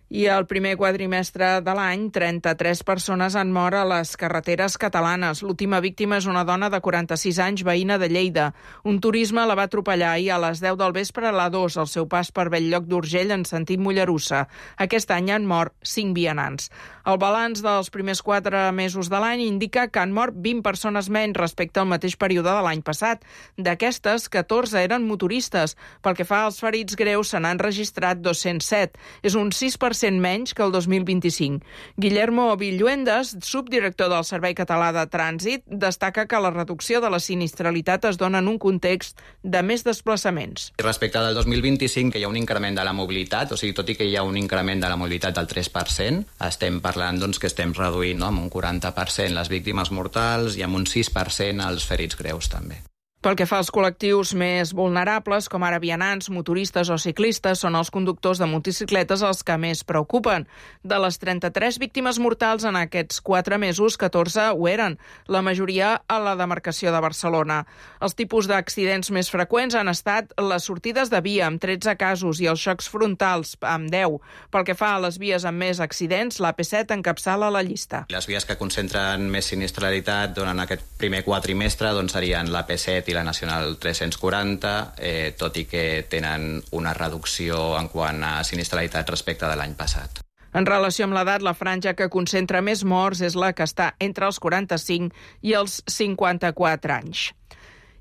Speaker 2: I el primer quadrimestre de l'any, trenta-tres persones han mort a les carreteres catalanes. L'última víctima és una dona de quaranta-sis anys, veïna de Lleida. Un turisme la va atropellar ahir a les deu del vespre a l'A dos, al seu pas per Bell-lloc d'Urgell en sentit Mollerussa. Aquest any han mort cinc vianants. El balanç dels primers quatre mesos de l'any indica que han mort vint persones menys respecte al mateix període de l'any passat. D'aquestes, catorze eren motoristes. Pel que fa als ferits greus, se n'han registrat dos-cents set. És un sis per cent menys que el dos mil vint-i-cinc. Guillermo Villuendas, subdirector del Servei Català de Trànsit, destaca que la reducció de la sinistralitat es dona en un context de més desplaçaments.
Speaker 3: Respecte del dos mil vint-i-cinc, que hi ha un increment de la mobilitat, o sigui, tot i que hi ha un increment de la mobilitat del tres per cent, estem parlant doncs, que estem reduint, no?, amb un quaranta per cent les víctimes mortals i amb un sis per cent els ferits greus també.
Speaker 2: Pel que fa als col·lectius més vulnerables, com ara vianants, motoristes o ciclistes, són els conductors de motocicletes els que més preocupen. De les trenta-tres víctimes mortals en aquests quatre mesos, catorze ho eren, la majoria a la demarcació de Barcelona. Els tipus d'accidents més freqüents han estat les sortides de via, amb tretze casos, i els xocs frontals, amb deu. Pel que fa a les vies amb més accidents, l'A P set encapçala la llista.
Speaker 3: Les vies que concentren més sinistralitat durant aquest primer quatrimestre doncs, serien l'A P set i la Nacional tres-cents quaranta, eh, tot i que tenen una reducció en quant a sinistralitat respecte de l'any passat.
Speaker 2: En relació amb l'edat, la franja que concentra més morts és la que està entre els quaranta-cinc i els cinquanta-quatre anys.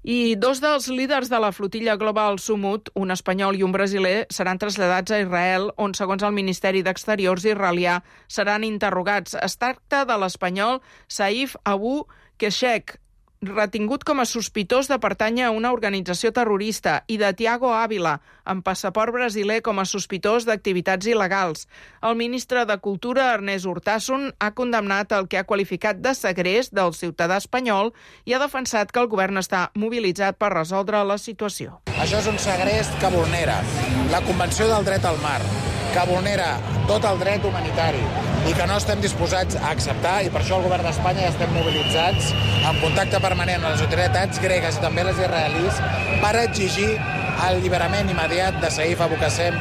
Speaker 2: I dos dels líders de la flotilla Global Sumut, un espanyol i un brasiler, seran traslladats a Israel, on, segons el Ministeri d'Exteriors israelià, seran interrogats. Es tracta de l'espanyol Saif Abu Keshek, retingut com a sospitós de pertànyer a una organització terrorista, i de Tiago Ávila, amb passaport brasiler, com a sospitós d'activitats il·legals. El ministre de Cultura, Ernest Urtasun, ha condemnat el que ha qualificat de segrest del ciutadà espanyol i ha defensat que el govern està mobilitzat per resoldre la situació.
Speaker 14: Això és un segrest que vulnera la Convenció del Dret al Mar, que vulnera tot el dret humanitari i que no estem disposats a acceptar, i per això el govern d'Espanya ja estem mobilitzats en contacte permanent amb les autoritats gregues i també les israelis per exigir el alliberament immediat de Saif Abu Qassem.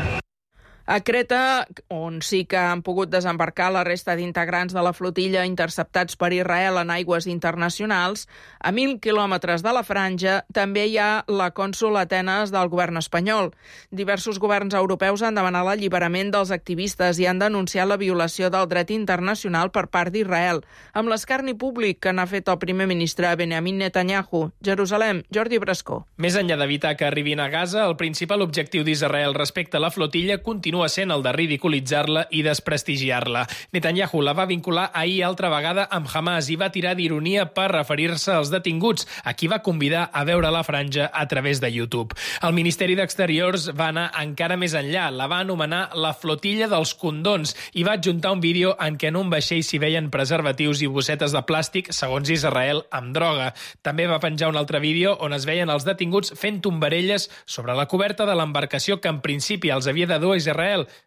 Speaker 2: A Creta, on sí que han pogut desembarcar la resta d'integrants de la flotilla interceptats per Israel en aigües internacionals, a mil quilòmetres de la franja també hi ha la cònsol a Atenes del govern espanyol. Diversos governs europeus han demanat l'alliberament dels activistes i han denunciat la violació del dret internacional per part d'Israel, amb l'escarni públic que n'ha fet el primer ministre Benjamin Netanyahu. Jerusalem, Jordi Brascó.
Speaker 15: Més enllà d'evitar que arribin a Gaza, el principal objectiu d'Israel respecte a la flotilla continua sent el de ridiculitzar-la i desprestigiar-la. Netanyahu la va vincular ahir altra vegada amb Hamas i va tirar d'ironia per referir-se als detinguts, a qui va convidar a veure la franja a través de YouTube. El Ministeri d'Exteriors va anar encara més enllà, la va anomenar la flotilla dels condons i va adjuntar un vídeo en què en un vaixell s'hi veien preservatius i bossetes de plàstic, segons Israel, amb droga. També va penjar un altre vídeo on es veien els detinguts fent tombarelles sobre la coberta de l'embarcació que en principi els havia de dur a Israel.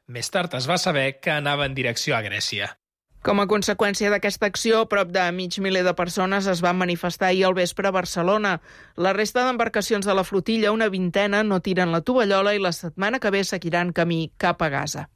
Speaker 15: Més tard es va saber que anava en direcció a Grècia.
Speaker 2: Com a conseqüència d'aquesta acció, prop de mig miler de persones es van manifestar ahir al vespre a Barcelona. La resta d'embarcacions de la flotilla, una vintena, no tiren la tovallola i la setmana que ve seguiran camí cap a Gaza.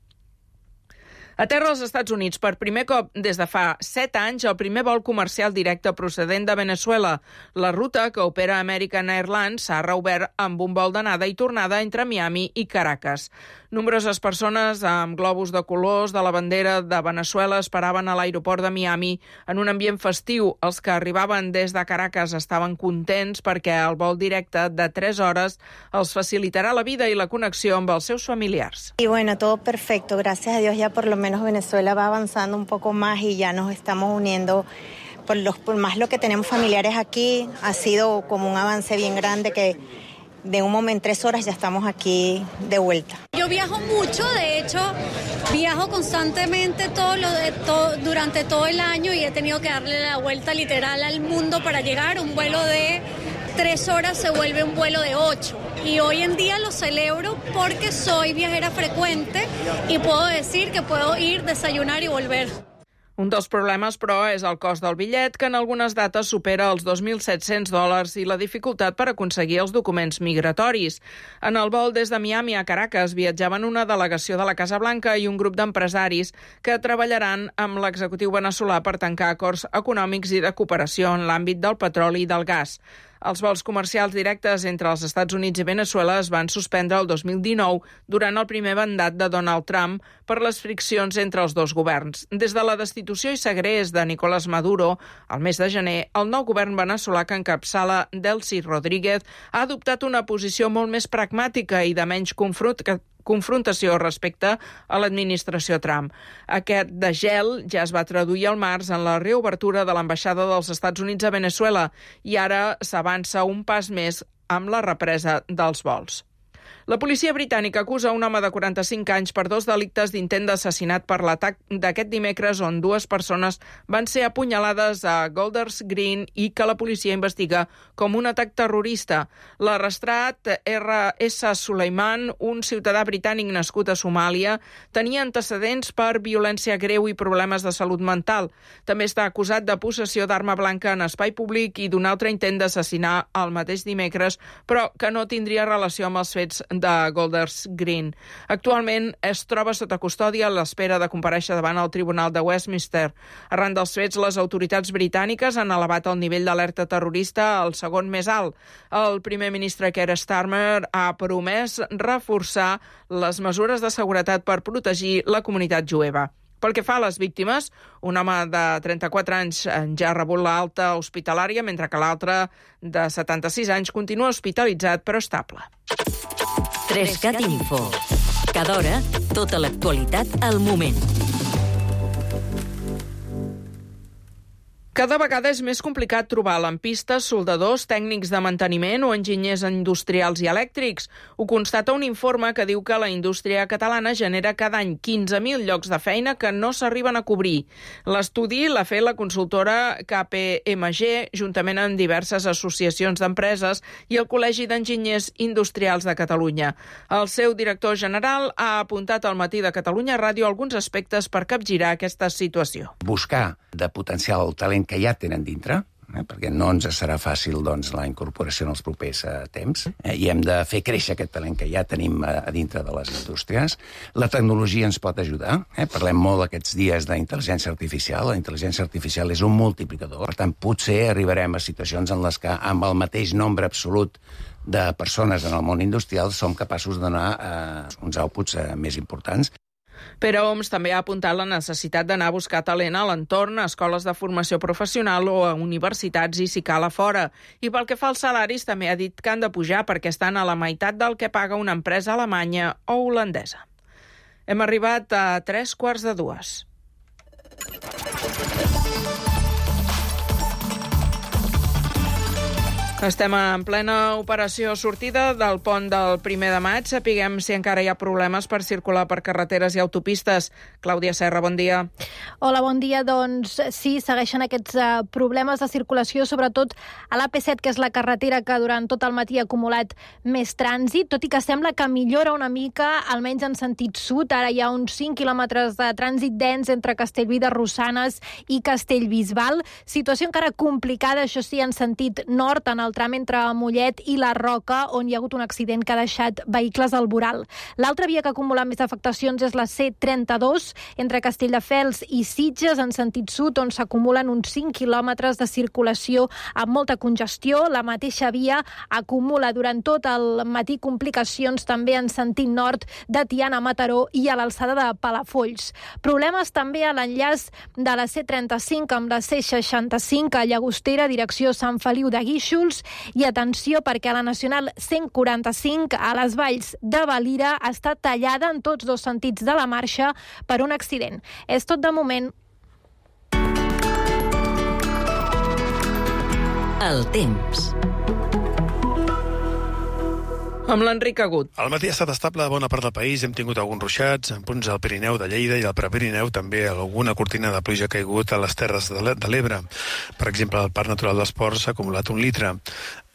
Speaker 2: A terra als Estats Units, per primer cop des de fa set anys, el primer vol comercial directe procedent de Venezuela. La ruta que opera American Airlines s'ha reobert amb un vol d'anada i tornada entre Miami i Caracas. Nombroses persones amb globus de colors de la bandera de Venezuela esperaven a l'aeroport de Miami en un ambient festiu. Els que arribaven des de Caracas estaven contents perquè el vol directe de tres hores els facilitarà la vida i la connexió amb els seus familiars.
Speaker 16: Y bueno, todo perfecto. Gracias a Dios ya por lo menos Venezuela va avanzando un poco más y ya nos estamos uniendo. Por, los, por más lo que tenemos familiares aquí, ha sido como un avance bien grande que de un momento, en tres horas ya estamos aquí de vuelta.
Speaker 17: Yo viajo mucho, de hecho, viajo constantemente todo lo de, todo, durante todo el año y he tenido que darle la vuelta literal al mundo para llegar. Un vuelo de tres horas se vuelve un vuelo de ocho. Y hoy en día lo celebro porque soy viajera frecuente y puedo decir que puedo ir, desayunar y volver.
Speaker 2: Un dels problemes, però, és el cost del bitllet, que en algunes dates supera els dos mil set-cents dòlars i la dificultat per aconseguir els documents migratoris. En el vol des de Miami a Caracas viatjaven una delegació de la Casa Blanca i un grup d'empresaris que treballaran amb l'executiu veneçolà per tancar acords econòmics i de cooperació en l'àmbit del petroli i del gas. Els vols comercials directes entre els Estats Units i Venezuela es van suspendre el dos mil dinou durant el primer mandat de Donald Trump per les friccions entre els dos governs. Des de la destitució i segrest de Nicolás Maduro, al mes de gener, el nou govern veneçolà que encapçala Delcy Rodríguez ha adoptat una posició molt més pragmàtica i de menys confront confrontació respecte a l'administració Trump. Aquest degel ja es va traduir al març en la reobertura de l'ambaixada dels Estats Units a Venezuela i ara s'avança un pas més amb la represa dels vols. La policia britànica acusa un home de quaranta-cinc anys per dos delictes d'intent d'assassinat per l'atac d'aquest dimecres on dues persones van ser apunyalades a Golders Green i que la policia investiga com un atac terrorista. L'arrestat R S Suleiman, un ciutadà britànic nascut a Somàlia, tenia antecedents per violència greu i problemes de salut mental. També està acusat de possessió d'arma blanca en espai públic i d'un altre intent d'assassinar el mateix dimecres, però que no tindria relació amb els fets de Golders Green. Actualment es troba sota custòdia a l'espera de comparèixer davant el Tribunal de Westminster. Arran dels fets, les autoritats britàniques han elevat el nivell d'alerta terrorista al segon més alt. El primer ministre Keir Starmer ha promès reforçar les mesures de seguretat per protegir la comunitat jueva. Pel que fa a les víctimes, un home de trenta-quatre anys ja ha rebut l'alta hospitalària, mentre que l'altre, de setanta-sis anys, continua hospitalitzat però estable.
Speaker 1: tres cat Info. Cada hora, tota l'actualitat al moment.
Speaker 2: Cada vegada és més complicat trobar lampistes, soldadors, tècnics de manteniment o enginyers industrials i elèctrics. Ho constata un informe que diu que la indústria catalana genera cada any quinze mil llocs de feina que no s'arriben a cobrir. L'estudi l'ha fet la consultora K P M G, juntament amb diverses associacions d'empreses i el Col·legi d'Enginyers Industrials de Catalunya. El seu director general ha apuntat al Matí de Catalunya Ràdio alguns aspectes per capgirar aquesta situació.
Speaker 4: Buscar de potencial el talent que ja tenen dintre, eh, perquè no ens serà fàcil doncs, la incorporació en els propers eh, temps, eh, i hem de fer créixer aquest talent que ja tenim a, a dintre de les indústries. La tecnologia ens pot ajudar. Eh? Parlem molt aquests dies d'intel·ligència artificial. La intel·ligència artificial és un multiplicador. Per tant, potser arribarem a situacions en les que, amb el mateix nombre absolut de persones en el món industrial, som capaços de donar eh, uns outputs eh, més importants.
Speaker 2: Pere Homs també ha apuntat la necessitat d'anar a buscar talent a l'entorn, a escoles de formació professional o a universitats i si cal a fora. I pel que fa als salaris, també ha dit que han de pujar perquè estan a la meitat del que paga una empresa alemanya o holandesa. Hem arribat a tres quarts de dues. Estem en plena operació sortida del pont del primer de maig. Sapiguem si encara hi ha problemes per circular per carreteres i autopistes. Clàudia Serra, bon dia.
Speaker 6: Hola, bon dia. Doncs sí, segueixen aquests uh, problemes de circulació, sobretot a l'A P set, que és la carretera que durant tot el matí ha acumulat més trànsit, tot i que sembla que millora una mica, almenys en sentit sud. Ara hi ha uns cinc quilòmetres de trànsit dens entre Castellví de Rosanes i Castellbisbal. Situació encara complicada, això sí, en sentit nord, en el tram entre Mollet i la Roca, on hi ha hagut un accident que ha deixat vehicles al voral. L'altra via que ha acumulat més afectacions és la C trenta-dos, entre Castelldefels i Sitges, en sentit sud, on s'acumulen uns cinc quilòmetres de circulació amb molta congestió. La mateixa via acumula durant tot el matí complicacions també en sentit nord de Tiana a Mataró i a l'alçada de Palafolls. Problemes també a l'enllaç de la C trenta-cinc amb la C seixanta-cinc a Llagostera, direcció Sant Feliu de Guíxols. I atenció, perquè la Nacional cent quaranta-cinc a les Valls de Valira està tallada en tots dos sentits de la marxa per un accident. És tot de moment.
Speaker 1: El temps.
Speaker 2: Amb l'Enric Agut.
Speaker 7: El matí ha estat estable a bona part del país. Hem tingut alguns ruixats, en punts al Pirineu de Lleida i al Prepirineu també alguna cortina de pluja ha caigut a les terres de l'Ebre. Per exemple, al Parc Natural dels Ports s'ha acumulat un litre.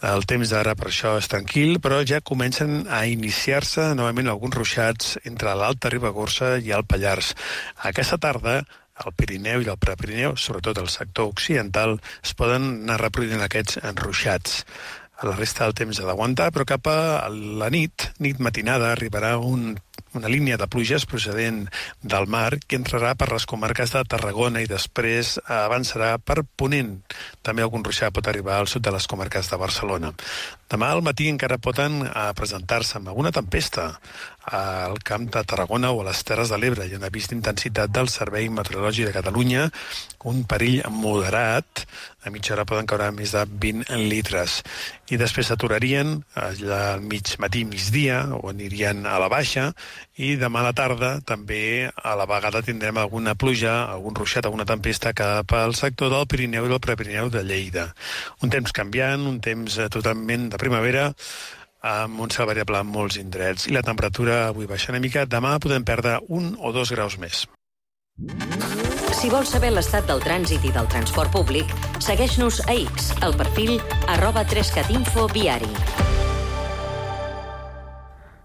Speaker 7: El temps d'ara per això és tranquil, però ja comencen a iniciar-se novament alguns ruixats entre l'Alta Ribagorça i el Pallars. Aquesta tarda, al Pirineu i al Prepirineu, sobretot al sector occidental, es poden anar reproduint aquests ruixats. A la resta del temps ha d'aguantar, però cap a la nit, nit matinada, arribarà un, una línia de pluges procedent del mar que entrarà per les comarques de Tarragona i després avançarà per Ponent. També algun ruixat pot arribar al sud de les comarques de Barcelona. Demà al matí encara poden presentar-se amb alguna tempesta al camp de Tarragona o a les Terres de l'Ebre. Hi ha un avís d'intensitat del Servei Meteorològic de Catalunya, un perill moderat. A mitja hora poden caure més de vint litres. I després s'aturarien al mig matí, migdia, o anirien a la baixa, i demà a la tarda també a la vegada tindrem alguna pluja, algun ruixat, alguna tempesta cap al sector del Pirineu i del Prepirineu de Lleida. Un temps canviant, un temps totalment de primavera, amb un cel variable en molts indrets. I la temperatura avui baixa una mica. Demà podem perdre un o dos graus més.
Speaker 1: Si vols saber l'estat del trànsit i del transport públic, segueix-nos a X, al perfil arroba trescatinfo viari.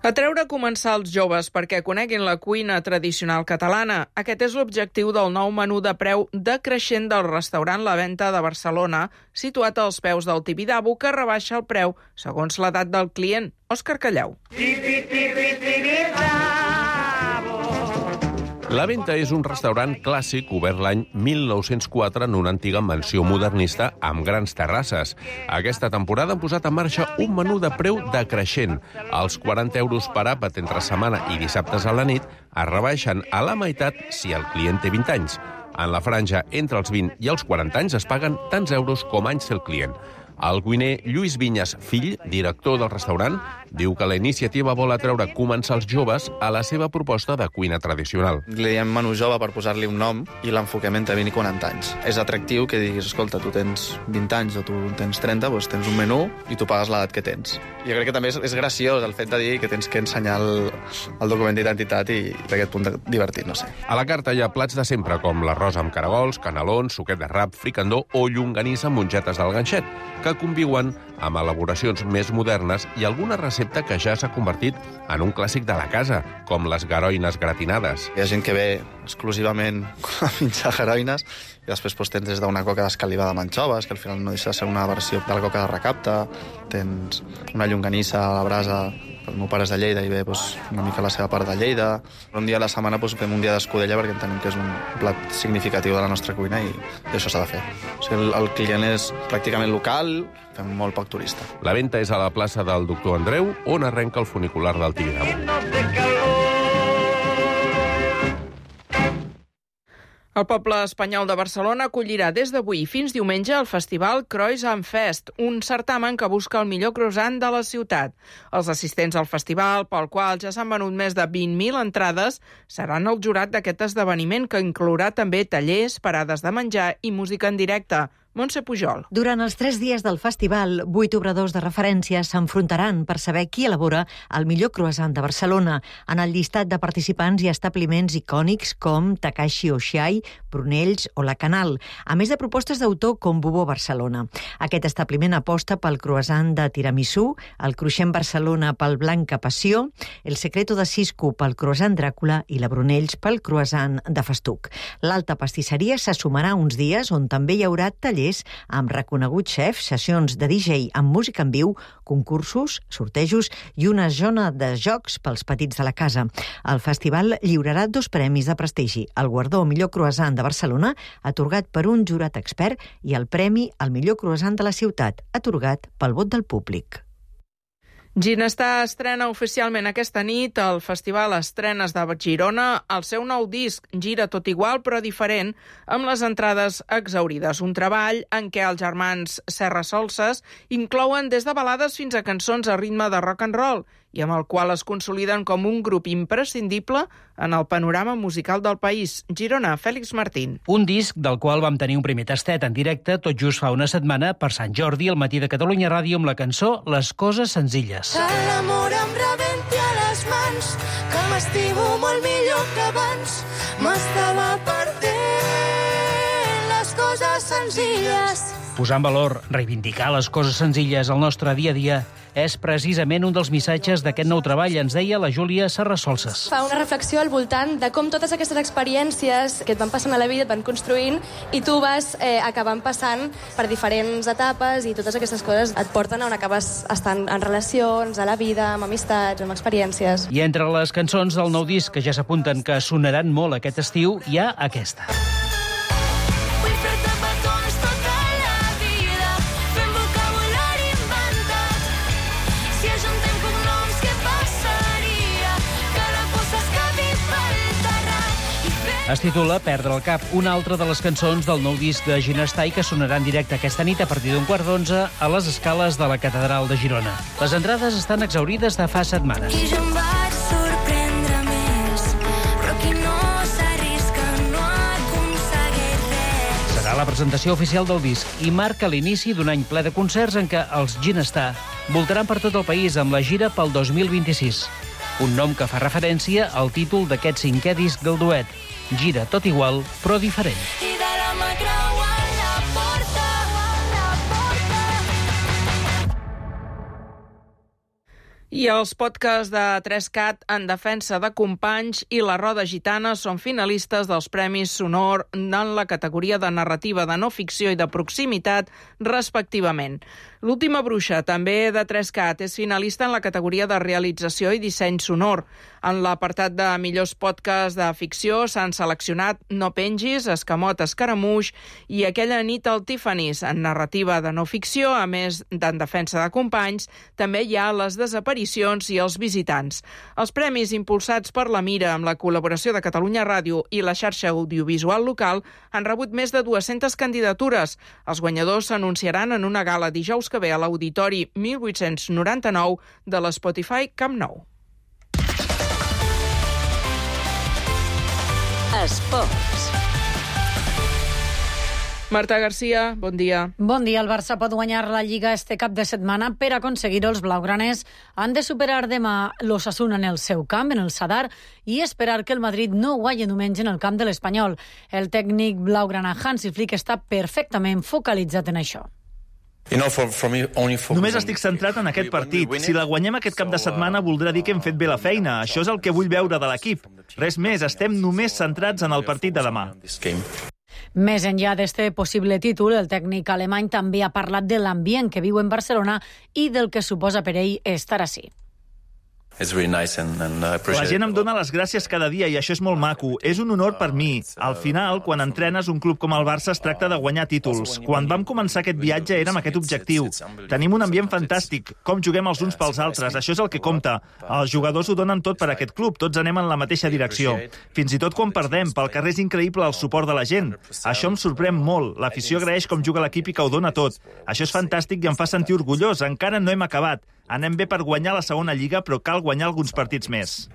Speaker 2: Atreure a començar els joves perquè coneguin la cuina tradicional catalana. Aquest és l'objectiu del nou menú de preu decreixent del restaurant La Venta de Barcelona, situat als peus del Tibidabo, que rebaixa el preu segons l'edat del client. Òscar Callau.
Speaker 9: La Venta és un restaurant clàssic obert l'any mil nou-cents quatre en una antiga mansió modernista amb grans terrasses. Aquesta temporada han posat en marxa un menú de preu decreixent. Els quaranta euros per àpat entre setmana i dissabtes a la nit es rebaixen a la meitat si el client té vint anys. En la franja entre els vint i els quaranta anys es paguen tants euros com anys té el client. El cuiner Lluís Vinyes, fill, director del restaurant, diu que la iniciativa vol atreure començar els joves a la seva proposta de cuina tradicional.
Speaker 10: Li diem menú jove per posar-li un nom i l'enfocament a vint i quaranta anys. És atractiu que diguis, escolta, tu tens vint anys o tu tens trenta, doncs tens un menú i tu pagues l'edat que tens. Jo crec que també és, és graciós el fet de dir que tens que ensenyar el, el document d'identitat i d'aquest punt divertit, no sé.
Speaker 9: A la carta hi ha plats de sempre, com l'arròs amb caragols, canelons, suquet de rap, fricandó o llonganissa amb mongetes del ganxet, que conviuen amb elaboracions més modernes i alguna recepta que ja s'ha convertit en un clàssic de la casa, com les garoines gratinades.
Speaker 10: Hi ha gent que ve exclusivament a menjar garoines i després doncs, tens des d'una coca d'escalivada amb anxoves, que al final no deixa de ser una versió de la coca de recapta, tens una llonganissa a la brasa. El meu pare és de Lleida i ve doncs, una mica la seva part de Lleida. Un dia a la setmana doncs, fem un dia d'escudella perquè entenem que és un plat significatiu de la nostra cuina i això s'ha de fer. O sigui, el, el client és pràcticament local, fem molt poc turista.
Speaker 9: La Venta és a la plaça del Doctor Andreu, on arrenca el funicular del Tibidabo.
Speaker 2: El poble espanyol de Barcelona acollirà des d'avui fins diumenge el festival Croissant Fest, un certamen que busca el millor croissant de la ciutat. Els assistents al festival, pel qual ja s'han venut més de vint mil entrades, seran el jurat d'aquest esdeveniment, que inclourà també tallers, parades de menjar i música en directe. Montse Pujol.
Speaker 18: Durant els tres dies del festival, vuit obradors de referència s'enfrontaran per saber qui elabora el millor croissant de Barcelona. En el llistat de participants hi ha establiments icònics com Takashi Oshai, Prunells o La Canal, a més de propostes d'autor com Bubó Barcelona. Aquest establiment aposta pel croissant de tiramisú, el Cruixent Barcelona pel Blanca Passió, el Secreto de Cisco pel croissant Dràcula i la Brunells pel croissant de festuc. L'Alta Pastisseria se sumarà uns dies on també hi haurà tallers amb reconeguts xefs, sessions de D J amb música en viu, concursos, sortejos i una zona de jocs pels petits de la casa. El festival lliurarà dos premis de prestigi, el guardó Millor Croissant de Barcelona, atorgat per un jurat expert, i el premi al millor croissant de la ciutat, atorgat pel vot del públic.
Speaker 2: Ginestar estrena oficialment aquesta nit al Festival Estrenes de Girona el seu nou disc, Gira tot igual però diferent, amb les entrades exaurides. Un treball en què els germans Serra Solses inclouen des de balades fins a cançons a ritme de rock and roll i amb el qual es consoliden com un grup imprescindible en el panorama musical del país. Girona, Fèlix Martín.
Speaker 19: Un disc del qual vam tenir un primer tastet en directe tot just fa una setmana per Sant Jordi al matí de Catalunya Ràdio amb la cançó Les coses senzilles.
Speaker 20: Que l'amor em rebenti a les mans, que m'estimo molt millor que abans, m'estava perdent les coses senzilles.
Speaker 19: Posar en valor, reivindicar les coses senzilles al nostre dia a dia és precisament un dels missatges d'aquest nou treball, ens deia la Júlia Serra Solses.
Speaker 21: Fa una reflexió al voltant de com totes aquestes experiències que et van passant a la vida et van construint i tu vas eh, acabant passant per diferents etapes i totes aquestes coses et porten a on acabes estant en relacions, a la vida, amb amistats, amb experiències.
Speaker 19: I entre les cançons del nou disc que ja s'apunten que sonaran molt aquest estiu hi ha aquesta. Es titula Perdre el cap, una altra de les cançons del nou disc de Ginestar i que sonarà en directe aquesta nit a partir d'un quart d'onze a les escales de la Catedral de Girona. Les entrades estan exaurides de fa setmanes.
Speaker 20: I jo em vaig sorprendre
Speaker 19: la presentació oficial del disc i marca l'inici d'un any ple de concerts en què els Ginestar voltaran per tot el país amb la gira pel dos mil vint-i-sis. Un nom que fa referència al títol d'aquest cinquè disc del duet. Gira tot igual, però diferent.
Speaker 20: I de la mà creuant la porta, la porta.
Speaker 2: I els podcasts de tres cat en defensa de companys i La Roda Gitana són finalistes dels Premis Sonor en la categoria de narrativa de no ficció i de proximitat, respectivament. L'Última Bruixa, també de tres cat, és finalista en la categoria de realització i disseny sonor. En l'apartat de millors podcasts de ficció s'han seleccionat No pengis, Escamot Escaramuix i Aquella nit al Tiffany's. En narrativa de no ficció, a més d'en defensa de companys, també hi ha Les desaparicions i Els visitants. Els premis impulsats per la Mira amb la col·laboració de Catalunya Ràdio i la xarxa audiovisual local han rebut més de dues-centes candidatures. Els guanyadors s'anunciaran en una gala dijous que ve a l'Auditori mil vuit-cents noranta-nou de l'Spotify Camp Nou.
Speaker 1: Esports.
Speaker 2: Marta Garcia, bon dia.
Speaker 5: Bon dia. El Barça pot guanyar la Lliga este cap de setmana. Per aconseguir-ho, els blaugranes han de superar demà l'Osasuna en el seu camp, en el Sadar, i esperar que el Madrid no guanyi diumenge en el camp de l'Espanyol. El tècnic blaugrana Hansi Flick està perfectament focalitzat en això.
Speaker 8: Només estic centrat en aquest partit. Si la guanyem aquest cap de setmana voldrà dir que hem fet bé la feina. Això és el que vull veure de l'equip. Res més, estem només centrats en el partit de demà.
Speaker 5: Més enllà d'este possible títol, el tècnic alemany també ha parlat de l'ambient que viu en Barcelona i del que suposa per ell estar ací.
Speaker 8: La gent em dona les gràcies cada dia i això és molt maco. És un honor per mi. Al final, quan entrenes un club com el Barça, es tracta de guanyar títols. Quan vam començar aquest viatge érem aquest objectiu. Tenim un ambient fantàstic, com juguem els uns pels altres, això és el que compta. Els jugadors ho donen tot per aquest club, tots anem en la mateixa direcció. Fins i tot quan perdem, pel carrer és increïble el suport de la gent. Això em sorprèn molt. L'afició agraeix com juga l'equip i que ho dona tot. Això és fantàstic i em fa sentir orgullós. Encara no hem acabat. Anem bé per guanyar la segona lliga, però cal guanyar alguns partits més.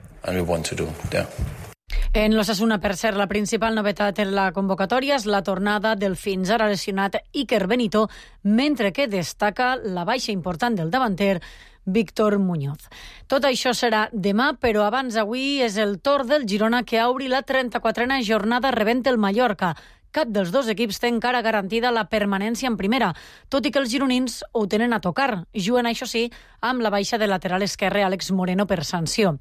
Speaker 5: En l'Osasuna, per cert, la principal novetat en la convocatòria és la tornada del fins ara lesionat Iker Benito, mentre que destaca la baixa important del davanter Víctor Muñoz. Tot això serà demà, però abans avui és el torn del Girona que obri la trenta-quatrena jornada rebent el Mallorca. Cap dels dos equips té encara garantida la permanència en primera, tot i que els gironins ho tenen a tocar. Juguen, això sí, amb la baixa de lateral esquerre Àlex Moreno per sanció.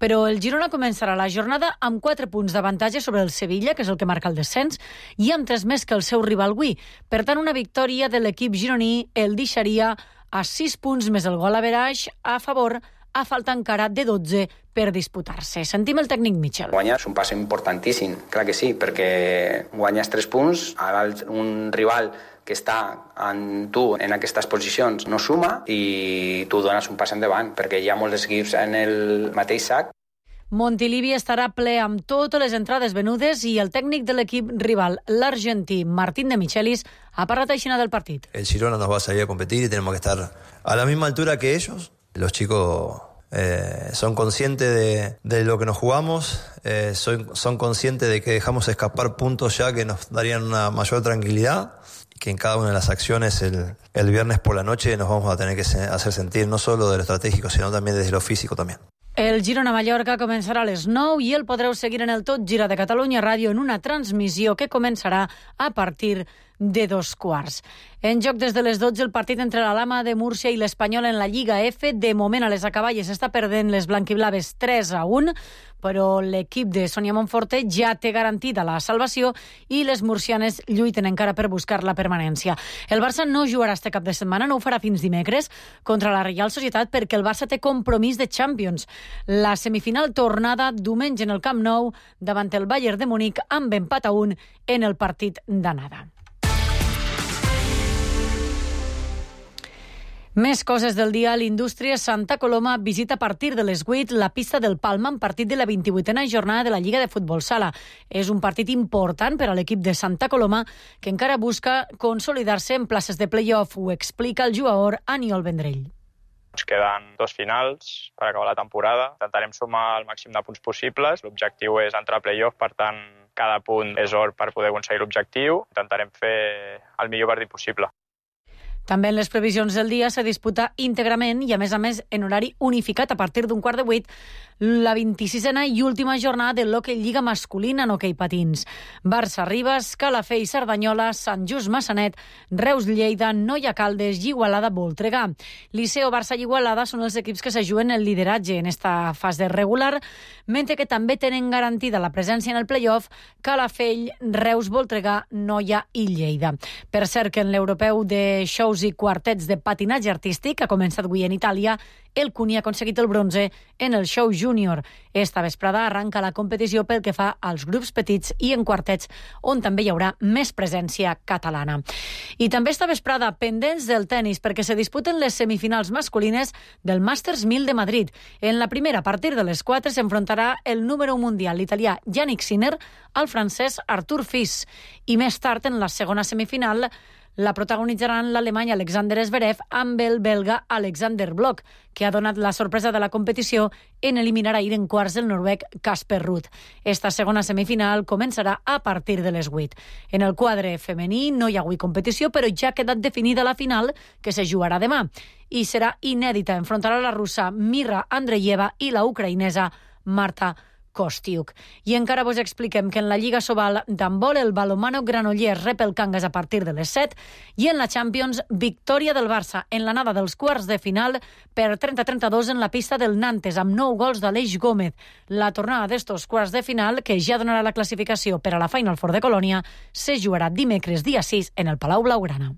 Speaker 5: Però el Girona començarà la jornada amb quatre punts d'avantatge sobre el Sevilla, que és el que marca el descens, i amb tres més que el seu rival avui. Per tant, una victòria de l'equip gironí el deixaria a sis punts més el gol average a favor, a falta encara de dotze per disputar-se. Sentim el tècnic Michel.
Speaker 11: Guanyar és un pas importantíssim, clar que sí, perquè guanyes tres punts, ara un rival que està en tu en aquestes posicions no suma i tu dones un pas endavant, perquè hi ha molts equips en el mateix sac.
Speaker 5: Montilivi estarà ple amb totes les entrades venudes i el tècnic de l'equip rival, l'argentí Martín de Michelis, ha parlat així del partit.
Speaker 12: El Girona nos va a salir a competir y tenemos que estar a la misma altura que ellos. Los chicos eh, son conscientes de, de lo que nos jugamos, eh, son, son conscientes de que dejamos escapar puntos ya que nos darían una mayor tranquilidad y que en cada una de las acciones el, el viernes por la noche nos vamos a tener que se, hacer sentir no solo de lo estratégico, sino también desde lo físico también.
Speaker 5: El Girona-Mallorca començarà a les nou i el podreu seguir en el Tot Gira de Catalunya Ràdio en una transmissió que començarà a partir de dos quarts. En joc des de les dotze el partit entre la Lama de Múrcia i l'Espanyol en la Lliga F. De moment a les acaballes està perdent les blanquiblaves tres a un, però l'equip de Sonia Monforte ja té garantida la salvació i les murcianes lluiten encara per buscar la permanència. El Barça no jugarà este cap de setmana, no ho farà fins dimecres, contra la Reial Societat perquè el Barça té compromís de Champions. La semifinal tornada diumenge en el Camp Nou davant el Bayern de Múnich amb empat a un en el partit d'anada. Més coses del dia. L'Indústria Santa Coloma visita a partir de les vuit la pista del Palma en partit de la vint-i-vuitena jornada de la Lliga de Futbol Sala. És un partit important per a l'equip de Santa Coloma que encara busca consolidar-se en places de play-off. Ho explica el jugador Aniol Vendrell.
Speaker 13: Ens queden dos finals per acabar la temporada. Intentarem sumar el màxim de punts possibles. L'objectiu és entrar a play-off, per tant, cada punt és or per poder aconseguir l'objectiu. Intentarem fer el millor partit possible.
Speaker 5: També en les previsions del dia se disputa íntegrament i, a més a més, en horari unificat a partir d'un quart de vuit, la vint-i-sisena i última jornada de l'Hockey Lliga masculina en hoquei patins. Barça Ribes, Calafell Cerdanyola, Sant Just Massanet, Reus Lleida, Noia Caldes i Igualada Voltregà. Liceo, Barça i Igualada són els equips que s'ajuen el lideratge en esta fase regular, mentre que també tenen garantida la presència en el play-off Calafell, Reus, Voltregà, Noia i Lleida. Per cert, que en l'europeu de shows i quartets de patinatge artístic, que ha començat avui en Itàlia, el Cuni ha aconseguit el bronze en el show júnior. Esta vesprada arranca la competició pel que fa als grups petits i en quartets, on també hi haurà més presència catalana. I també esta vesprada pendents del tennis, perquè se disputen les semifinals masculines del Masters mil de Madrid. En la primera, a partir de les quatre, s'enfrontarà el número un mundial, l'italià Yannick Sinner, al francès Arthur Fils. I més tard, en la segona semifinal, la protagonitzaran l'alemany Alexander Zverev amb el belga Alexander Blok, que ha donat la sorpresa de la competició en eliminar ahir en quarts el noruec Casper Ruud. Esta segona semifinal començarà a partir de les vuit. En el quadre femení no hi ha avui competició, però ja ha quedat definida la final, que se jugarà demà. I serà inèdita. Enfrontarà la russa Mira Andreeva i la ucraïnesa Marta Kostiuk. I encara vos expliquem que en la Lliga Sobal d'handbol el Balonmano Granollers rep el Cangas a partir de les set i en la Champions, victòria del Barça en l'anada dels quarts de final per trenta a trenta-dos en la pista del Nantes amb nou gols d'Aleix Gómez. La tornada d'estos quarts de final, que ja donarà la classificació per a la Final Four de Colònia, se jugarà dimecres dia sis en el Palau Blaugrana.